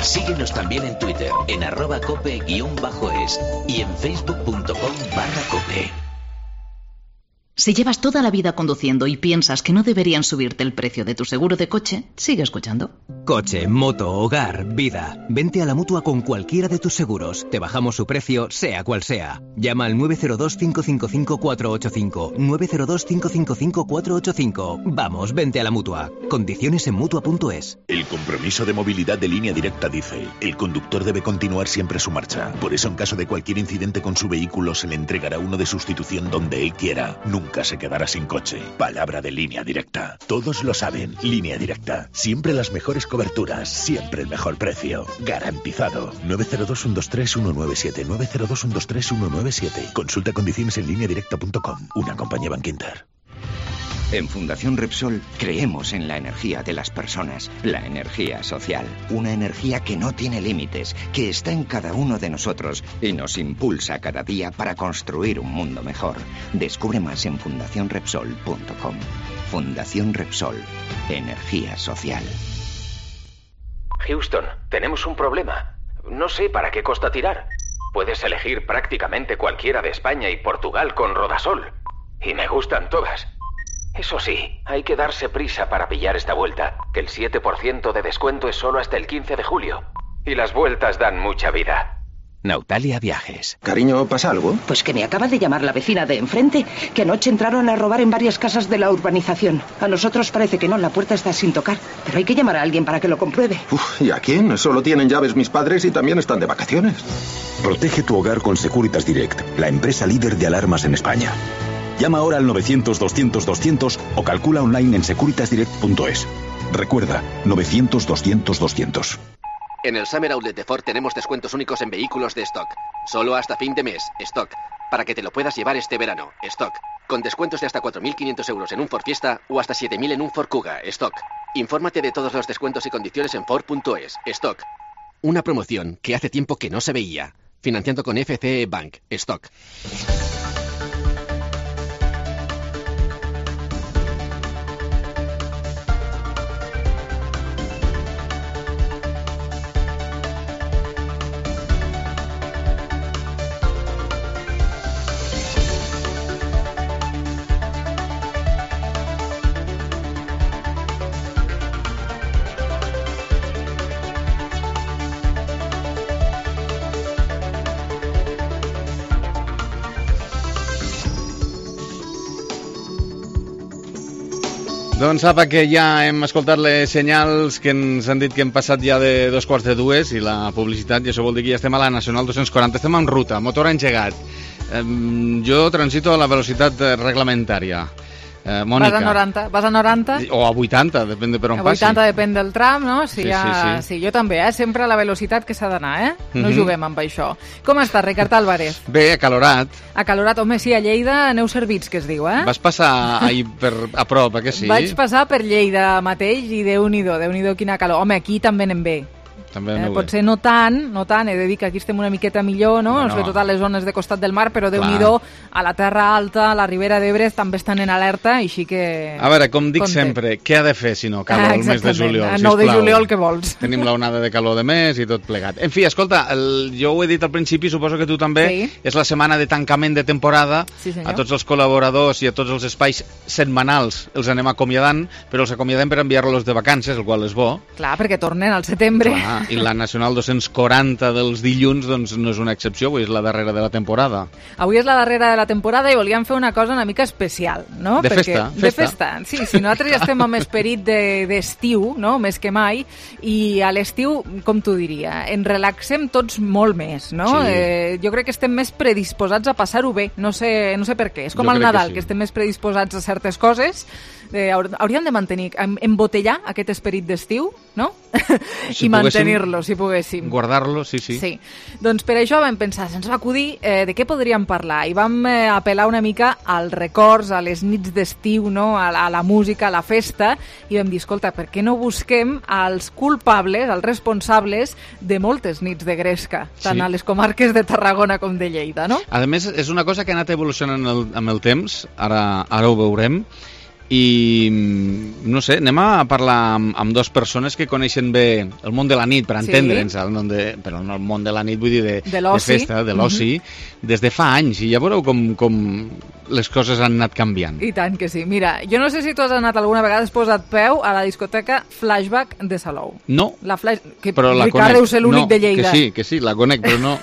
Síguenos también en Twitter, en @cope_es y en facebook.com/cope. Si llevas toda la vida conduciendo y piensas que no deberían subirte el precio de tu seguro de coche, sigue escuchando. Coche, moto, hogar, vida. Vente a la Mutua con cualquiera de tus seguros. Te bajamos su precio, sea cual sea. Llama al 902-555-485. 902-555-485. Vamos, vente a la Mutua. Condiciones en Mutua.es. El compromiso de movilidad de Línea Directa dice: el conductor debe continuar siempre su marcha. Por eso, en caso de cualquier incidente con su vehículo, se le entregará uno de sustitución donde él quiera. Nunca se quedará sin coche. Palabra de Línea Directa. Todos lo saben. Línea Directa. Siempre las mejores coberturas. Siempre el mejor precio. Garantizado. 902-123-197. 902-123-197. Consulta condiciones en lineadirecta.com. Una compañía Bankinter. En Fundación Repsol creemos en la energía de las personas, la energía social, una energía que no tiene límites, que está en cada uno de nosotros y nos impulsa cada día para construir un mundo mejor. Descubre más en fundacionrepsol.com. Fundación Repsol, energía social. Houston, tenemos un problema. No sé para qué costa tirar. Puedes elegir prácticamente cualquiera de España y Portugal con Rodasol. Y me gustan todas. Eso sí, hay que darse prisa para pillar esta vuelta, que el 7% de descuento es solo hasta el 15 de julio. Y las vueltas dan mucha vida. Nautalia Viajes. Cariño, ¿pasa algo? Pues que me acaba de llamar la vecina de enfrente, que anoche entraron a robar en varias casas de la urbanización. A nosotros parece que no, la puerta está sin tocar, pero hay que llamar a alguien para que lo compruebe. ¿Y a quién? Solo tienen llaves mis padres y también están de vacaciones. Protege tu hogar con Securitas Direct, la empresa líder de alarmas en España. Llama ahora al 900-200-200 o calcula online en securitasdirect.es. Recuerda, 900-200-200. En el Summer Outlet de Ford tenemos descuentos únicos en vehículos de stock. Solo hasta fin de mes, stock. Para que te lo puedas llevar este verano, stock. Con descuentos de hasta 4.500 euros en un Ford Fiesta o hasta 7.000 en un Ford Kuga, stock. Infórmate de todos los descuentos y condiciones en Ford.es, stock. Una promoción que hace tiempo que no se veía. Financiando con FCE Bank, stock. Doncs apa, que ja hem escoltat les senyals que ens han dit que hem passat ja de 2:45 i la publicitat, i això vol dir que ja estem a la Nacional 240. Estem en ruta, motor engegat. Jo transito a la velocitat reglamentària. Mònica. Vas a 90? O a 80, depèn de per on passi. A 80 depèn del tram, no? Sí. Sí, jo també, sempre a la velocitat que s'ha d'anar, No juguem amb això. Com estàs, Ricard Álvarez? Bé, acalorat. Acalorat, home, sí, a Lleida aneu servits, que es diu, Vas passar ahir a prop, que sí? Vaig passar per Lleida mateix i Déu-n'hi-do quina calor. Home, aquí també anem bé. Potser no tant, he de dir que aquí estem una miqueta millor, no? Sobretot a les zones de costat del mar, però Déu-n'hi-do, a la Terra Alta, a la Ribera d'Ebre també estan en alerta, així que... A veure, com dic sempre, què ha de fer si no calor el mes de juliol, sisplau? 9 de juliol, què vols? Tenim l'onada de calor de mes i tot plegat. En fi, escolta, jo ho he dit al principi, suposo que tu també, és la setmana de tancament de temporada, a tots els col·laboradors i a tots els espais setmanals els anem acomiadant, però els acomiadem per enviar-los de vacances, el qual és bo. Clar, perquè tornen al setembre. I la Nacional 240 dels dilluns doncs no és una excepció, avui és la darrera de la temporada. Avui és la darrera de la temporada i volíem fer una cosa una mica especial, no? De festa. De festa, sí. Si nosaltres ja estem amb esperit d'estiu, no? Més que mai, i a l'estiu, com t'ho diria, ens relaxem tots molt més, no? Sí. Jo crec que estem més predisposats a passar-ho bé, no sé per què. És com al Nadal, que estem més predisposats a certes coses. Hauríem de mantenir, embotellar aquest esperit d'estiu, no? I mantenir-lo, si poguéssim. Guardar-lo, sí. Doncs per això vam pensar, se'ns va acudir de què podríem parlar, i vam apel·lar una mica als records, a les nits d'estiu, no? A la música, a la festa, i vam dir, escolta, per què no busquem els culpables, els responsables de moltes nits de gresca, tant a les comarques de Tarragona com de Lleida, no? A més, és una cosa que ha anat evolucionant amb el temps, ara ho veurem, i no sé, anem a parlar amb dues persones que coneixen bé el món de la nit, per entendre'ns, però no el món de la nit, vull dir de festa, de l'oci, des de fa anys, i ja veureu com les coses han anat canviant. I tant que sí. Mira, jo no sé si tu has anat alguna vegada, has posat peu a la discoteca Flashback de Salou. No, però la Ricard deu ser l'únic de Lleida. Que sí, la conec, però no...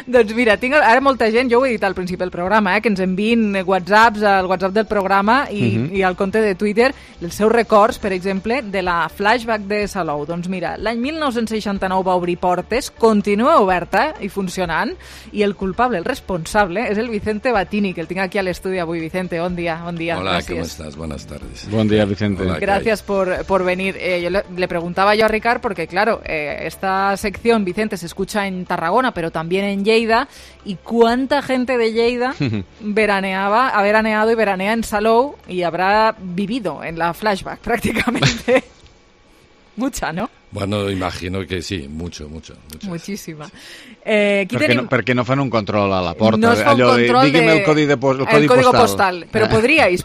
Doncs mira, tinc ara molta gent, jo ho he dit al principi del programa, que ens envien whatsapps al WhatsApp del programa i al compte de Twitter els seus records, per exemple, de la Flashback de Salou. Doncs mira, l'any 1969 va obrir portes, continua oberta i funcionant, i el culpable, el responsable, és el Vicente Batini, que el tinc aquí a l'estudi avui. Vicente, bon dia. Hola, gracias. ¿cómo estás? Buenas tardes. Buen día, Vicente. Hola, Gracias por venir. Yo le preguntaba yo a Ricard, porque claro, esta sección, Vicente, se escucha en Tarragona, pero también en Lleida, y cuánta gente de Lleida ha veraneado y veranea en Salou y habrá vivido en la Flashback prácticamente. Mucha, ¿no? Bueno, imagino que sí, mucho. Muchísima. Per què no fan un control a la porta? No es fa un control digui'm el código postal. Pero podríais,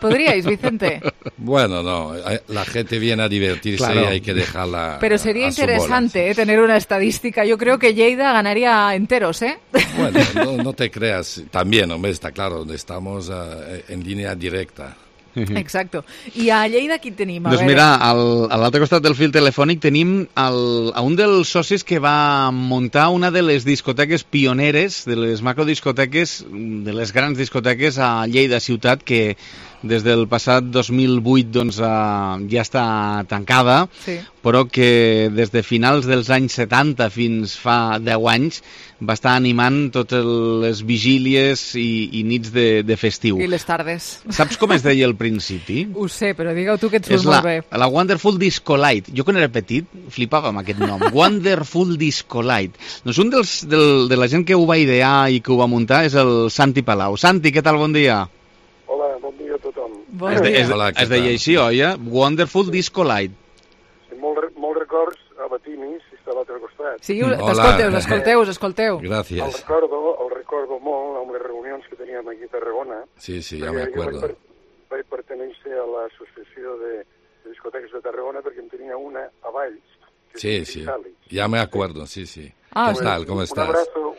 Vicente. Bueno, no, la gente viene a divertirse y hay que dejarla. Pero sería interesante bola, sí. Tener una estadística. Yo creo que Lleida ganaría enteros, ¿eh? Bueno, no te creas. También, hombre, está claro, estamos en línea directa. Exacto. I a Lleida qui tenim? Doncs mira, a l'altre costat del fil telefònic tenim a un dels socis que va muntar una de les discoteques pioneres, de les macrodiscoteques, de les grans discoteques a Lleida ciutat, que des del passat 2008 doncs, ja està tancada, però que des de finals dels anys 70 fins fa 10 anys va estar animant totes les vigílies i nits de festiu. I les tardes. Saps com es deia al principi? Ho sé, però digue-ho tu que et surt molt bé. La Wonderful Disco Light. Jo quan era petit flipava amb aquest nom. Wonderful Disco Light. Doncs un de la gent que ho va idear i que ho va muntar és el Santi Palau. Santi, què tal? Bon dia. Hola, bon dia a tothom. Es deia així, oi? Wonderful Disco Light. Molts records a Batini, si està a l'altre costat. Sí, escolteu. Gràcies. El recordo molt amb les reunions que teníem aquí a Tarragona. Sí, ja me acuerdo. Vaig pertenèixer a l'associació de discoteques de Tarragona perquè en tenia una a Valls. Sí, ya me acuerdo, sí. ¿Qué tal? ¿Cómo estás?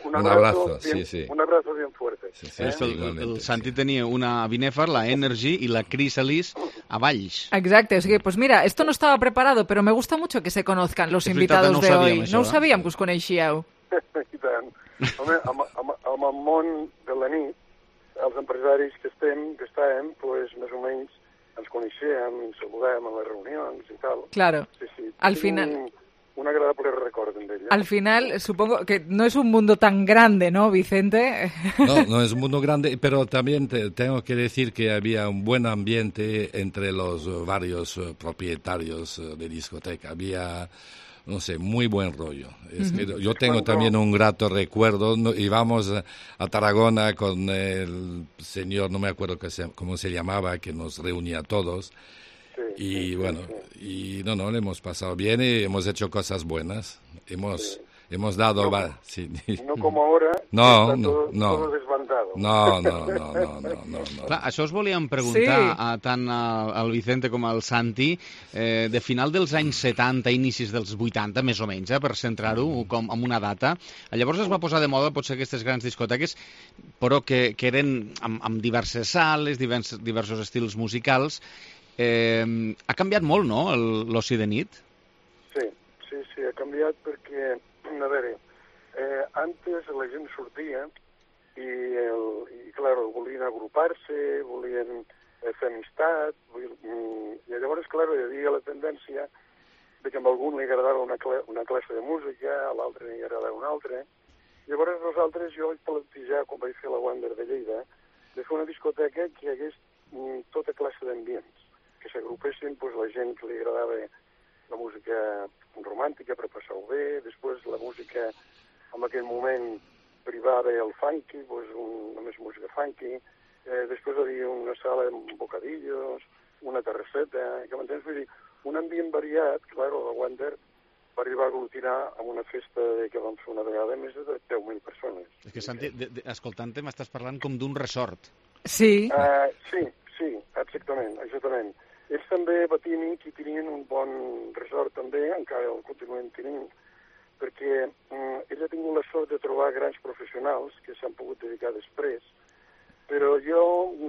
Un abrazo, sí. Un abrazo bien fuerte. Sí, el Santi tenia una a Binèfar, la Energy y la Chrysalis a Valls. Exacto, es que, pues mira, esto no estaba preparado, pero me gusta mucho que se conozcan los invitados de hoy. No ho sabíem que us coneixíeu. I tant. Home, amb el món de la nit, els empresaris que estàvem, pues, més o menys ens coneixem, ens saludem a les reunions i tal. Claro. Sí. Al final... Un agradable recuerdo de ella. Al final, supongo que no es un mundo tan grande, ¿no, Vicente? No es un mundo grande, pero también tengo que decir que había un buen ambiente entre los varios propietarios de discoteca. Había, no sé, muy buen rollo. Es que yo tengo también un grato recuerdo. Íbamos a Tarragona con el señor, no me acuerdo cómo se llamaba, que nos reunía a todos. Y bueno, y no, le hemos pasado bien y hemos hecho cosas buenas. Hemos dado... No como ahora, todo desbandado. No. Clar, això us volíem preguntar tant al Vicente com al Santi, de final dels anys 70, inicis dels 80, més o menys, per centrar-ho amb una data. Llavors es va posar de moda potser aquestes grans discoteques, però que eren amb diverses sales, diversos estils musicals. Ha canviat molt, no?, l'oci de nit? Sí, ha canviat perquè, a veure, antes la gent sortia i volien agrupar-se, volien fer amistat, i llavors, hi havia la tendència de que a algun li agradava una classe de música, a l'altre li agradava una altra. Llavors nosaltres, jo vaig plantejar, quan vaig fer la Wander de Lleida, de fer una discoteca que hi hagués tota classe d'ambients, que s'agrupessin la gent que li agradava la música romàntica per passar-ho bé, després la música en aquell moment privava el funky, només música funky, després hi havia una sala amb bocadillos, una terrasseta, que m'entens? Vull dir, un ambient variat, clar, la Wander va arribar a aglutinar amb una festa que vam fer una vegada més de 10.000 persones. És que, Santi, escoltant-te, m'estàs parlant com d'un resort. Sí. Sí, sí, exactament. Ells també, Batini, que tenien un bon resort també, encara el continuen tenint, perquè ell ha tingut la sort de trobar grans professionals que s'han pogut dedicar després, però jo,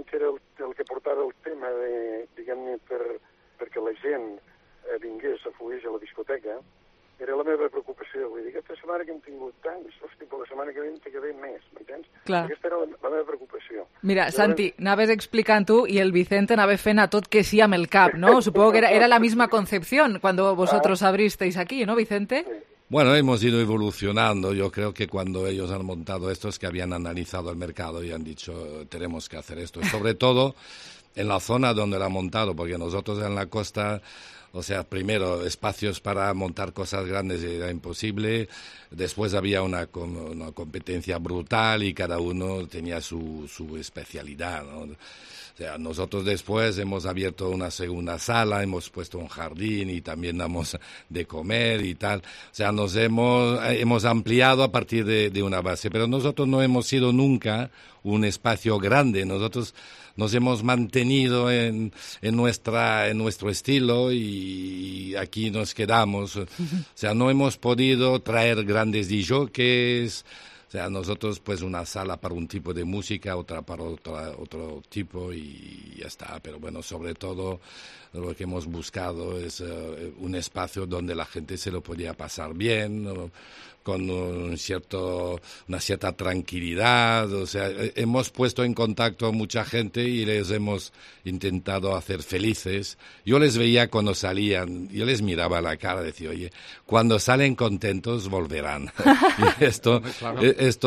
que era el que portava el tema de, diguem-ne, perquè la gent vingués a fugueix a la discoteca, era la meva preocupació. Vull dir, aquesta setmana que hem tingut tants, hosti, per la setmana que ve té que haver més, m'entens? Clar. Aquesta era la meva preocupació. Mira, Santi, anaves explicant tu y el Vicente anava fent a tot que sí amb el cap, ¿no? Supongo que era la misma concepción cuando vosotros abristeis aquí, ¿no, Vicente? Bueno, hemos ido evolucionando. Yo creo que cuando ellos han montado esto es que habían analizado el mercado y han dicho, tenemos que hacer esto. Y sobre todo en la zona donde lo han montado, porque nosotros en la costa... O sea, primero, espacios para montar cosas grandes era imposible. Después había una competencia brutal y cada uno tenía su especialidad, ¿no? O sea, nosotros después hemos abierto una segunda sala, hemos puesto un jardín y también damos de comer y tal. O sea, nos hemos ampliado a partir de una base. Pero nosotros no hemos sido nunca un espacio grande. Nosotros nos hemos mantenido en nuestro estilo y aquí nos quedamos. O sea, no hemos podido traer grandes DJs. O sea, nosotros pues una sala para un tipo de música, otra para otro tipo y ya está. Pero bueno, sobre todo lo que hemos buscado es un espacio donde la gente se lo podía pasar bien, ¿no? Con una cierta tranquilidad. O sea, hemos puesto en contacto a mucha gente y les hemos intentado hacer felices. Yo les veía cuando salían, yo les miraba a la cara y decía, oye, cuando salen contentos volverán. Y esto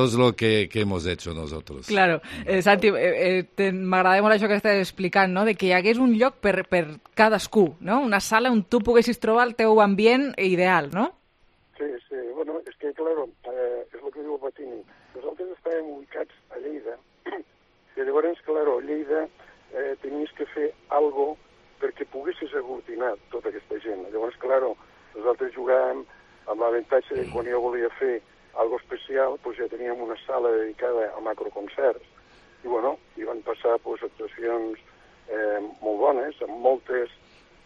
es lo que hemos hecho nosotros. Claro. Santi, m'agrada molt això que estàs explicant, no? De que hi hagués un lloc per cadascú, no? Una sala on tu poguessis trobar el teu ambient ideal, no? Sí. Bueno, és que, claro, és el que diu el Batini. Nosaltres estàvem ubicats a Lleida, i llavors, claro, a Lleida tenies que fer algo perquè poguessis aglutinar tota aquesta gent. Llavors, claro, nosaltres jugàvem amb l'avantatge de quan jo volia fer algo especial, doncs ja teníem una sala dedicada a macroconcerts. I, bueno, hi van passar actuacions molt bones, amb moltes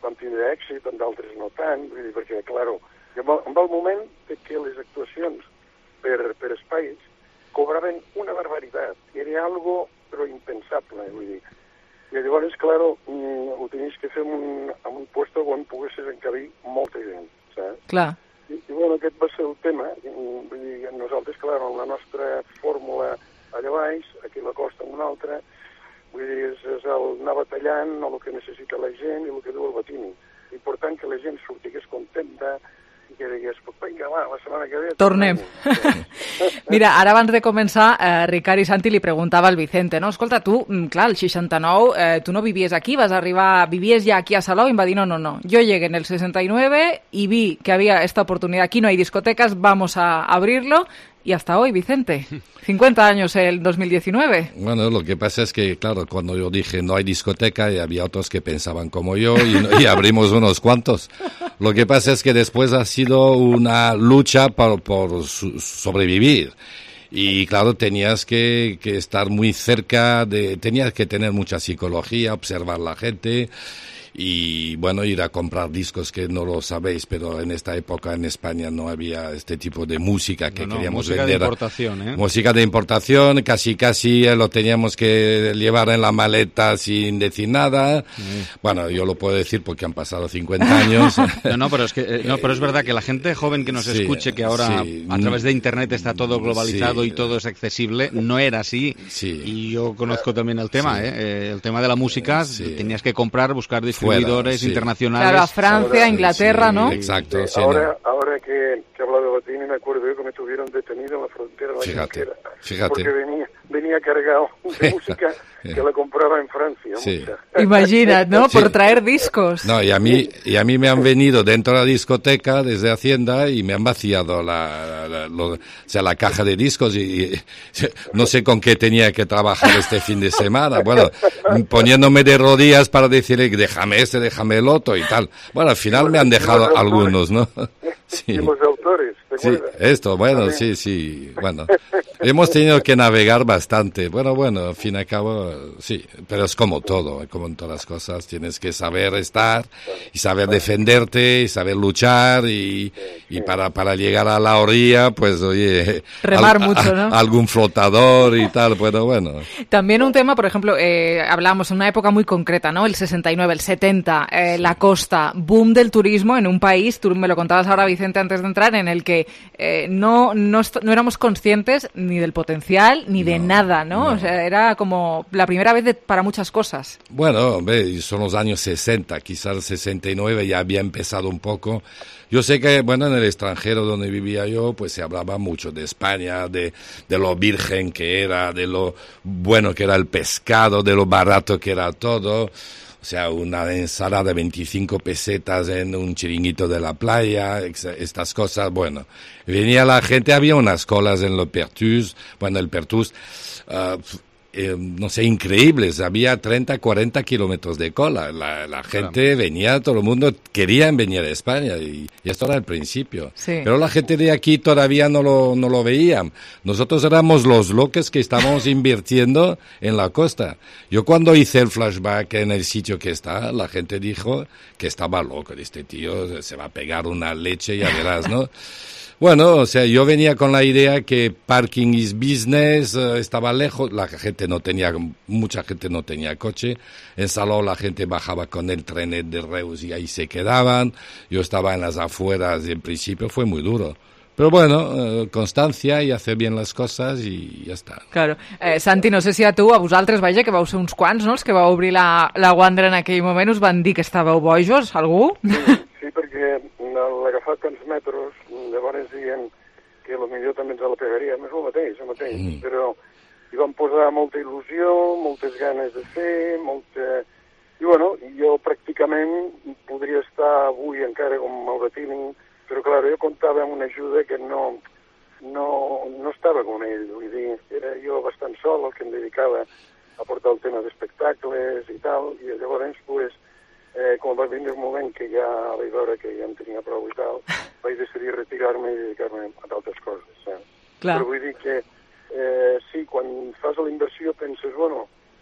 van tindre èxit, amb d'altres no tant, vull dir, perquè, claro, en el moment que les actuacions per espais cobraven una barbaritat. Era algo, però impensable, vull dir. I llavors, claro, ho tenies que fer en un puesto on poguessis encabir molta gent, saps? Clar. I bueno, aquest va ser el tema. Vull dir, nosaltres, clar, amb la nostra fórmula allà baix, aquí a la costa amb una altra, vull dir, és anar batallant el que necessita la gent i el que diu el Batini. Important que la gent sortigués contenta i que digués, vinga, va, la setmana que ve... Tornem. Mira, ara abans de començar, Ricard i Santi li preguntava al Vicente, no? Escolta, tu, clar, el 69, tu no vivies aquí, vivies ja aquí a Salou i em va dir, no, yo llegué en el 69 y vi que había esta oportunidad, aquí no hay discotecas, vamos a abrirlo, y hasta hoy, Vicente, 50 años el 2019. Bueno, lo que pasa es que, claro, cuando yo dije no hay discoteca, y había otros que pensaban como yo y abrimos unos cuantos. Lo que pasa es que después ha sido una lucha por sobrevivir. Y claro, tenías que estar muy cerca, tenías que tener mucha psicología, observar la gente. Y bueno, ir a comprar discos, que no lo sabéis, pero en esta época en España no había este tipo de música que queríamos música vender. De importación, ¿eh? Música de importación, casi lo teníamos que llevar en la maleta sin decir nada. Sí. Bueno, yo lo puedo decir porque han pasado 50 años. Pero es verdad que la gente joven que nos escuche, que ahora a través de internet está todo globalizado y todo es accesible, no era así. Sí. Y yo conozco también el tema, el tema de la música, tenías que comprar, buscar distribuidores internacionales. Claro, a Francia, a Inglaterra, ¿no? Exacto. Sí, ahora que habla de Batini, me acuerdo yo que me tuvieron detenido en la frontera de la frontera. Fíjate. Porque venía cargado de música que la compraba en Francia. Sí. Imagina, ¿no? Sí. Por traer discos. No, y a mí me han venido dentro de la discoteca desde Hacienda y me han vaciado la caja de discos y no sé con qué tenía que trabajar este fin de semana. Bueno, poniéndome de rodillas para decirle, déjame déjame el otro y tal. Bueno, al final me han dejado algunos, ¿no? Sí. Y los autores, ¿te acuerdas? Sí, esto, bueno, sí, bueno. hemos tenido que navegar bastante. Bueno, al fin y al cabo, sí, pero es como todo, como en todas las cosas, tienes que saber estar y saber defenderte y saber luchar y para llegar a la orilla, pues oye, remar mucho, ¿no? Algún flotador y tal, bueno. También un tema, por ejemplo, hablamos en una época muy concreta, ¿no? El 69, el 70, la costa, boom del turismo en un país, tú me lo contabas ahora, Vicente, antes de entrar, en el que no éramos conscientes ni del potencial ni de nada, ¿no? O sea, era como la primera vez para muchas cosas. Bueno, hombre, son los años 60, quizás el 69 ya había empezado un poco. Yo sé que, en el extranjero donde vivía yo, pues se hablaba mucho de España, de lo virgen que era, de lo bueno que era el pescado, de lo barato que era todo. O sea, una ensalada de 25 pesetas en un chiringuito de la playa, estas cosas, venía la gente, había unas colas en el Pertus, no sé, increíbles, había 30, 40 kilómetros de cola, la gente venía, todo el mundo quería venir a España y esto era el principio, sí. Pero la gente de aquí todavía no lo veían, nosotros éramos los locos que estábamos invirtiendo en la costa. Yo cuando hice el flashback en el sitio que está, la gente dijo que estaba loco, este tío se va a pegar una leche, ya verás, ¿no? Bueno, o sea, yo venía con la idea que parking is business, estaba lejos, mucha gente no tenía coche, en Salou la gente bajaba con el trenet de Reus y ahí se quedaban, yo estaba en las afueras y en principio fue muy duro. Però constància i hacer bien les coses i ja està. Claro. Santi, no sé si a vosaltres, vaja, que vau ser uns quants, no?, els que vau obrir la Wander en aquell moment, us van dir que estàveu bojos, algú? Sí, perquè l'agafar tants metres, llavors dient que potser també ens la pegaríem, és el mateix, però hi vam posar molta il·lusió, moltes ganes de fer, I jo pràcticament podria estar avui encara com Mauretini, però clar, jo comptava amb una ajuda que no estava com ell, vull dir, era jo bastant sol el que em dedicava a portar el tema d'espectacles i tal, i llavors, quan va venir un moment que ja vaig veure que ja em tenia prou i tal, vaig decidir retirar-me i dedicar-me a d'altres coses, saps? Però vull dir que, sí, quan fas la inversió penses,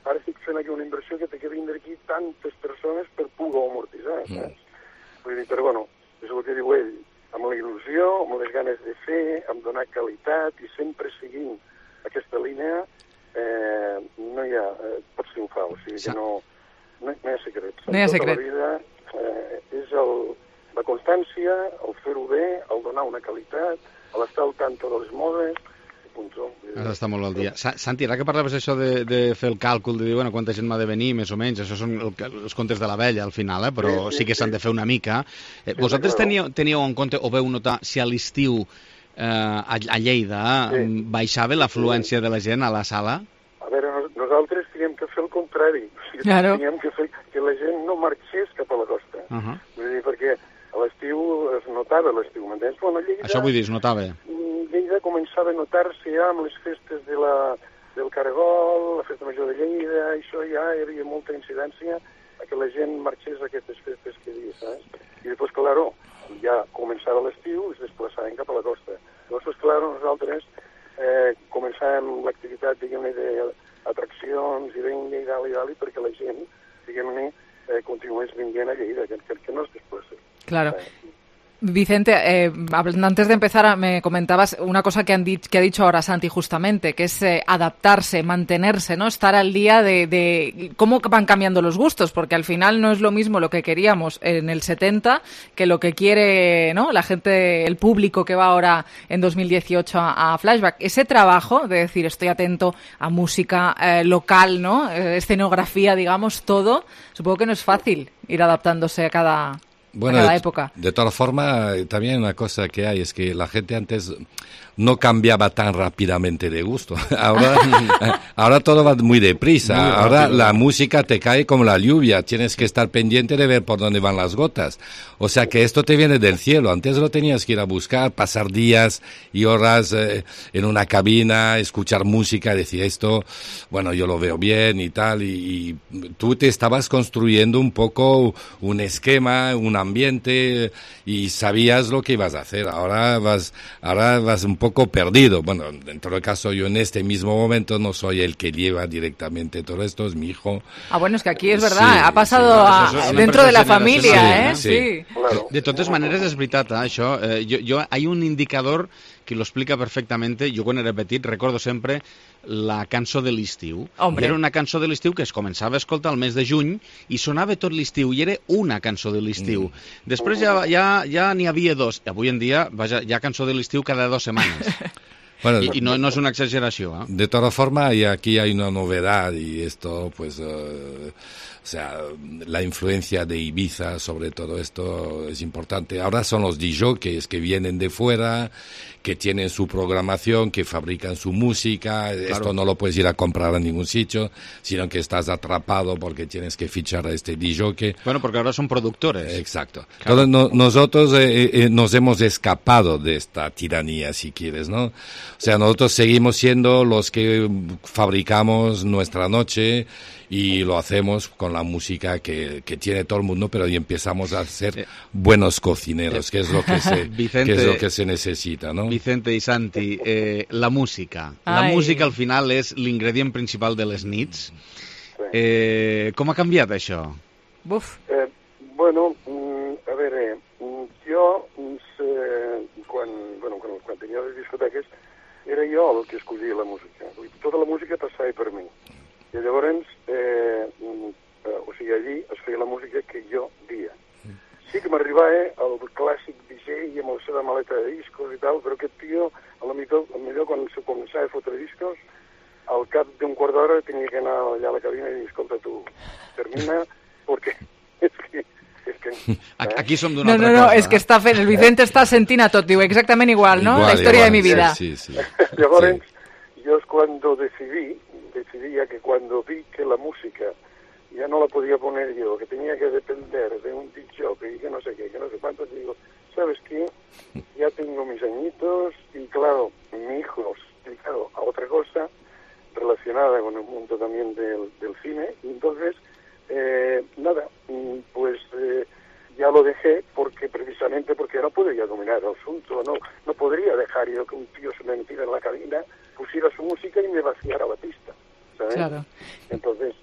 ara estic fent aquí una inversió que té que vindre aquí tantes persones per poder amortitzar, saps? Vull dir, però és el que diu ell, amb la il·lusió, amb les ganes de fer, amb donar qualitat i sempre seguint aquesta línia, no hi ha, pots triomfar, o sigui que no hi ha secrets. No hi ha secret. Tota la vida és la constància, el fer-ho bé, el donar una qualitat, l'estar al tanto de les modes, Has d'estar molt al dia. Santi, ara que parlaves això de fer el càlcul, de dir, quanta gent m'ha de venir, més o menys, això són els contes de la vella, al final, però sí que s'han de fer una mica. Vosaltres teníeu en compte, o veu notar, si a l'estiu a Lleida baixava l'afluència de la gent a la sala? A veure, nosaltres teníem que fer el contrari. Teníem que fer que la gent no marxés cap a la costa. Vull dir, perquè a l'estiu es notava l'estiu, m'entens? Això vull dir, es notava. Lleida començava a notar-se ja amb les festes del Caragol, la festa major de Lleida, això ja hi havia molta incidència a que la gent marxés a aquestes festes que dius, saps? I després, claro, ja començava l'estiu i es desplaçaven cap a la costa. Llavors, claro, nosaltres començàvem l'activitat, diguem-ne, d'atraccions i vinga i dalt, perquè la gent, diguem-ne, continués vinguent a Lleida, que no es desplaça. Claro. Vicente, antes de empezar me comentabas una cosa que ha dicho ahora Santi justamente, que es adaptarse, mantenerse, ¿no? Estar al día de cómo van cambiando los gustos, porque al final no es lo mismo lo que queríamos en el 70 que lo que quiere, ¿no?, la gente, el público que va ahora en 2018 a Flashback. Ese trabajo de decir estoy atento a música local, ¿no?, escenografía, digamos, todo, supongo que no es fácil ir adaptándose a cada época. De todas formas, también una cosa que hay es que la gente antes no cambiaba tan rápidamente de gusto. Ahora todo va muy deprisa. Ahora la música te cae como la lluvia. Tienes que estar pendiente de ver por dónde van las gotas. O sea que esto te viene del cielo. Antes lo tenías que ir a buscar, pasar días y horas en una cabina, escuchar música, decir esto, yo lo veo bien y tal. Y tú te estabas construyendo un poco un esquema, una ambiente y sabías lo que ibas a hacer. Ahora vas un poco perdido. Bueno, en todo caso, yo en este mismo momento no soy el que lleva directamente todo esto, es mi hijo. Bueno, es que aquí es verdad, ha pasado dentro de la familia, sí. De totes maneres, és veritat, això. Hay un indicador que lo explica perfectamente. Jo, quan era petit, recordo sempre la cançó de l'estiu. Era una cançó de l'estiu que es començava a escoltar al mes de juny i sonava tot l'estiu, i era una cançó de l'estiu. Després ja n'hi havia dos. Avui en dia, vaja, hi ha cançó de l'estiu cada 2 setmanes. Bueno, y no es una exageración, ¿eh? De todas formas, y aquí hay una novedad, y esto, pues, o sea, la influencia de Ibiza sobre todo esto es importante. Ahora son los DJs que vienen de fuera, que tienen su programación, que fabrican su música. Claro. Esto no lo puedes ir a comprar a ningún sitio, sino que estás atrapado porque tienes que fichar a este DJ. Bueno, porque ahora son productores. Exacto. Claro. Entonces, nosotros nos hemos escapado de esta tiranía, si quieres, ¿no? O sea, nosotros seguimos siendo los que fabricamos nuestra noche y lo hacemos con la música que tiene todo el mundo, pero y empezamos a ser buenos cocineros, que es lo que se necesita, ¿no? Vicente i Santi, la música. La música al final és l'ingredient principal de les nits. Com ha canviat això? Bueno, a veure, jo quan tenia les discoteques era jo el que escollia la música. Tota la música passava per mi. I llavors, allí es feia la música que jo dia. Sí que m'arribava el clàssic DJ amb la seva maleta de discos i tal, però aquest tio, millor quan se començava a fotre discos, al cap d'un quart d'hora tenia que anar allà a la cabina i dir, escolta tu, termina, perquè Aquí som d'una altra cosa. No, és que està fent, el Vicente està sentint a tot, diu exactament igual, ¿no? La història de mi vida. Sí. Llavors, yo es cuando decidí ya que cuando vi que la música ya no la podía poner yo, que tenía que depender de un DJ y que no sé qué, que no sé cuánto, digo, ¿sabes qué? Ya tengo mis añitos y claro, mi hijo se ha dedicado a otra cosa relacionada con el mundo también del cine, y entonces, ya lo dejé precisamente porque no podía dominar el asunto, no podría dejar yo que un tío se me metiera en la cabina, pusiera su música y me vaciara la pista, ¿sabes? Claro. Entonces,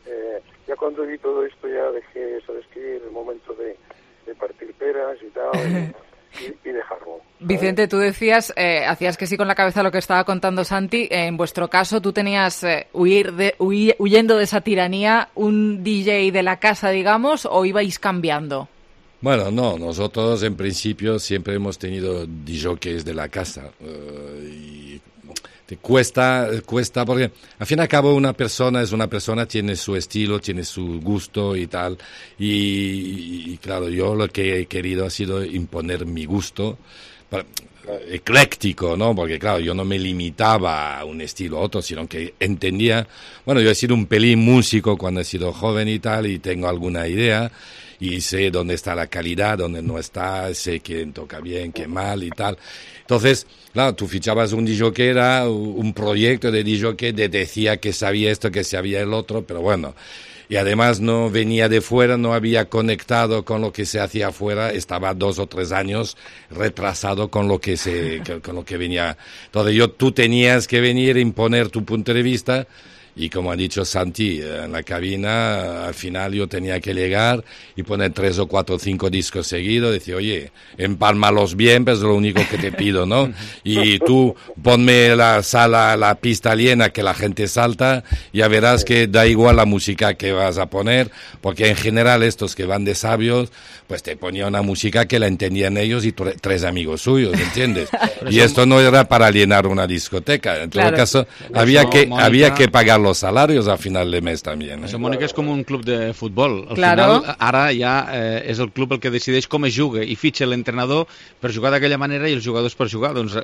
ya cuando vi todo esto ya dejé, ¿sabes qué? El momento de partir peras y tal, y dejarlo. Vicente, tú decías, hacías que sí con la cabeza lo que estaba contando Santi. En vuestro caso, tú tenías huyendo de esa tiranía, un DJ de la casa, digamos, o ibais cambiando. Bueno, no, nosotros en principio siempre hemos tenido DJs de la casa y te cuesta porque al fin y al cabo una persona tiene su estilo, tiene su gusto y tal, y claro, yo lo que he querido ha sido imponer mi gusto ecléctico, ¿no? Porque claro, yo no me limitaba a un estilo u otro, sino que entendía, bueno, yo he sido un pelín músico cuando he sido joven y tal, y tengo alguna idea, y sé dónde está la calidad, dónde no está, sé quién toca bien, qué mal y tal. Entonces, claro, tú fichabas un DJ que era un proyecto de DJ que decía que sabía esto, que sabía el otro, pero bueno, y además no venía de fuera, no había conectado con lo que se hacía afuera, estaba 2 o 3 años retrasado con lo que venía. Entonces tú tenías que venir a imponer tu punto de vista. Y como ha dicho Santi, en la cabina, al final yo tenía que llegar y poner 3 o 4 o 5 discos seguidos, decir, oye, empálmalos bien, pues es lo único que te pido, ¿no? Y tú ponme la pista llena, que la gente salta, ya verás que da igual la música que vas a poner, porque en general estos que van de sabios, pues te ponía una música que la entendían ellos y 3 amigos suyos, ¿entiendes? Y esto no era para llenar una discoteca, en todo caso, había que pagar los salarios a final de mes también. Això, Mònica, és com un club de futbol. Al final, ara ja és el club el que decideix com es juga i fitxa l'entrenador per jugar d'aquella manera i els jugadors per jugar. Doncs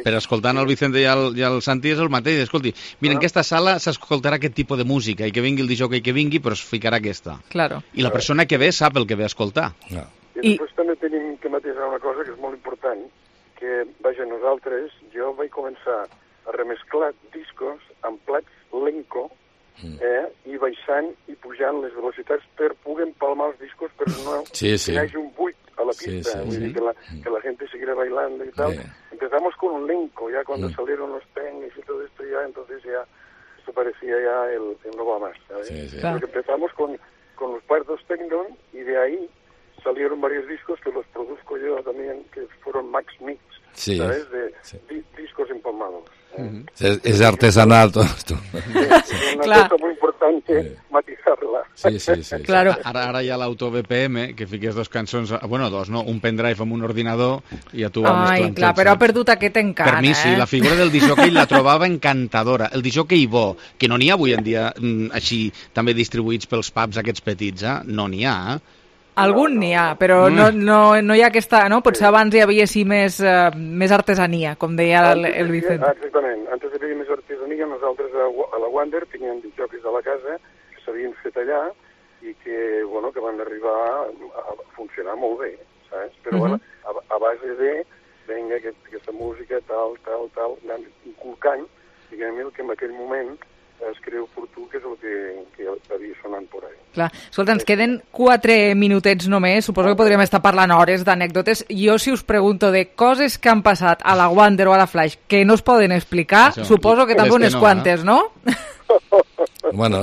per escoltant el Vicente i el Santi és el mateix. Escolti, mira, en aquesta sala s'escoltarà aquest tipus de música i que vingui el DJ que vingui, però es ficarà aquesta. Claro. I la persona que ve sap el que ve a escoltar. I després també tenim que matisar una cosa que és molt important, que, vaja, jo vaig començar a remesclar discos amb plats Lenco, i baixant i pujant les velocitats per poder empalmar els discos, però no hi hagi un buit a la pista, que la gente siguiera bailando y tal. Empezamos con un elenco, ya cuando salieron los tenis y todo esto, ya entonces ya esto parecía ya el no va más, ¿sabes? Porque empezamos con los pardos techno y de ahí salieron varios discos que los produzco yo también, que fueron Max Mix, ¿sabes? De discos empalmados. Es artesanal todo esto. Es una cosa muy importante matizarla. Sí. Claro. Ara hi ha l'auto-BPM, que fiques dos cançons, bueno, dos, no? Un pendrive amb un ordinador i ja tu vas mesclant. Ai, clar, però ha perdut aquest encant, Per mi sí, la figura del disjockey la trobava encantadora. El disjockey bo, que no n'hi ha avui en dia així, també distribuïts pels pubs aquests petits, no n'hi ha, Algun n'hi ha, però no hi ha aquesta... No? Potser abans hi havia sí més artesania, com deia el Vicent. Exactament. Antes hi havia més artesania. Nosaltres a la Wander teníem disjockeys a la casa que s'havien fet allà i que van arribar a funcionar molt bé, saps? Però a base de, vinga, aquesta música, tal, anant inculcant, diguem-ne, que en aquell moment es creu oportú, que és el que havia sonant por ahí. Clar. Escolta, ens queden 4 minutets només, suposo que podríem estar parlant hores d'anècdotes. Jo, si us pregunto de coses que han passat a la Wander o a la Flash que no es poden explicar, suposo que també unes quantes, ¿no? Bueno,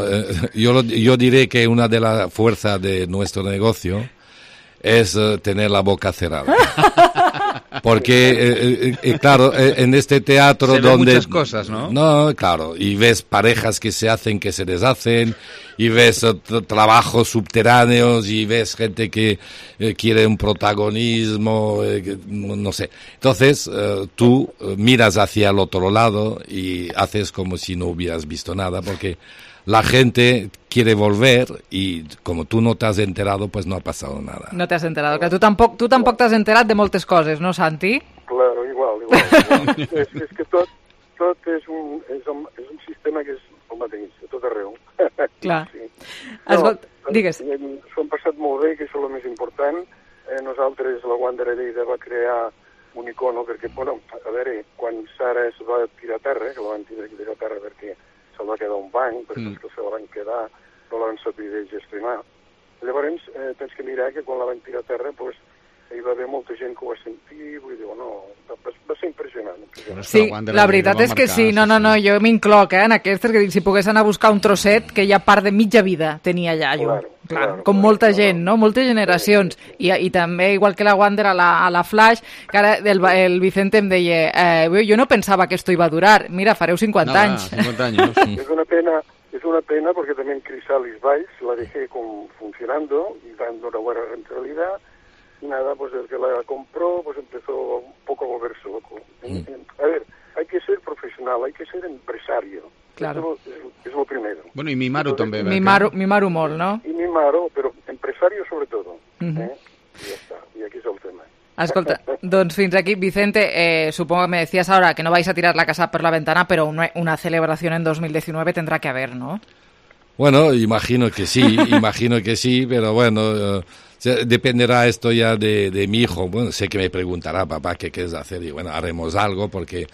yo diré que una de las fuerzas de nuestro negocio es tener la boca cerrada. Porque, claro, en este teatro donde... muchas cosas, ¿no? No, claro, y ves parejas que se hacen, que se deshacen, y ves trabajos subterráneos, y ves gente que quiere un protagonismo, no sé. Entonces, tú miras hacia el otro lado y haces como si no hubieras visto nada, porque la gente quiere volver y como tú no te has enterado, pues no ha pasado nada. No te has enterado. Que tu tampoc t'has enterat de moltes coses, no, Santi? Claro, igual. és que tot és un sistema que és el mateix, a tot arreu. Clar. Escolta, digues. S'ho han passat molt bé, que això és el més important. Nosaltres, la Wander a Lleida, va crear un icono, perquè, a veure, quan Sara es va tirar a terra, que la van tirar a terra perquè se'l va quedar un banc, perquè els que se la van quedar no la van saber gestionar. Llavors, tens que mirar que quan la van tirar a terra, hi va haver molta gent que ho va sentir, vull dir, va ser impressionant. Sí, la veritat és que sí, no, jo m'incloc, en aquestes, que si pogués anar a buscar un trosset, que ja part de mitja vida tenia allà, jo. Clar, com molta gent, no? Moltes generacions. I també, igual que la Wander a la Flash, que ara el Vicente em deia, jo no pensava que esto iba a durar, mira, fareu 50 anys. 50 años. Es una pena porque también Chrysalis Vice la dejé funcionando y dando una buena rentabilidad. Y nada, pues el que la compró pues empezó un poco a volverse loco. A ver, hay que ser profesional, hay que ser empresario. Claro. Es lo primero. Bueno, y mimar-ho també. Mimar-ho molt, no? Y mimar-ho, pero empresario sobre todo. Y ya está, y aquí es el tema. Escolta, doncs fins aquí. Vicente, supongo que me decías ahora que no vais a tirar la casa por la ventana, pero una celebración en 2019 tendrá que haber, ¿no? Bueno, imagino que sí, pero bueno, dependerá esto ya de mi hijo. Bueno, sé que me preguntará, papá, ¿qué quieres hacer? Y bueno, haremos algo porque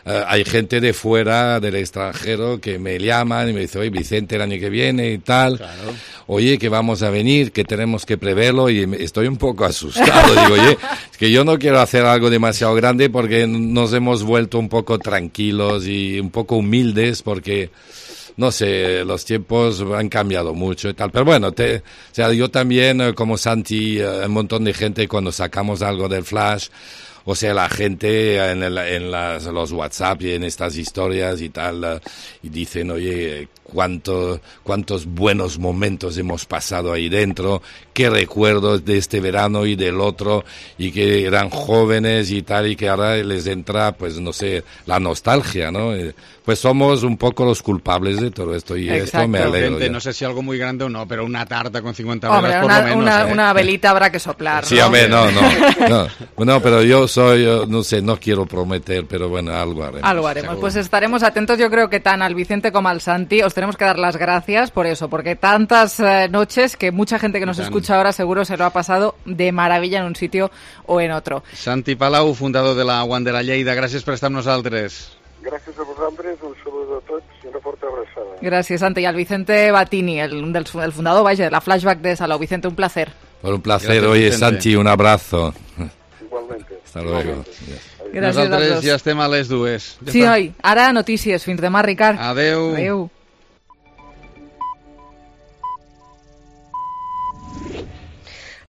hay gente de fuera, del extranjero, que me llaman y me dicen, oye, Vicente, el año que viene y tal, claro. Oye, que vamos a venir, que tenemos que preverlo, y estoy un poco asustado. Digo, oye, es que yo no quiero hacer algo demasiado grande porque nos hemos vuelto un poco tranquilos y un poco humildes porque... No sé, los tiempos han cambiado mucho y tal, pero bueno, yo también, como Santi, un montón de gente cuando sacamos algo del Flash, o sea, la gente en los WhatsApp y en estas historias y tal, y dicen, oye, cuántos buenos momentos hemos pasado ahí dentro, qué recuerdos de este verano y del otro, y que eran jóvenes y tal, y que ahora les entra, pues no sé, la nostalgia, ¿no? Pues somos un poco los culpables de todo esto, y exacto. Esto me alegro. No sé si algo muy grande o no, pero una tarta con 50 velas por lo menos. Una velita habrá que soplar. Sí, ¿no? hombre, no, pero yo no sé, no quiero prometer, pero bueno, algo haremos. Algo haremos, seguro. Pues estaremos atentos. Yo creo que tan al Vicente como al Santi os tenemos que dar las gracias por eso, porque tantas noches que mucha gente que nos escucha ahora seguro se lo ha pasado de maravilla en un sitio o en otro. Santi Palau, fundador de la Wander a Lleida, gràcies per estar amb nosaltres. Gràcies a vosaltres, un saludo a tots i una forta abraçada. Gràcies, Santi. I al Vicente Batini, el fundador, vaja, de la Flashback de Salou. Vicente, un placer. Por un placer. Oye, Santi, un abrazo. Igualmente. Hasta luego. Gràcies Nosaltres ja estem a les 2. Sí, oi. Ara notícies. Fins demà, Ricard. Adeu. Adeu.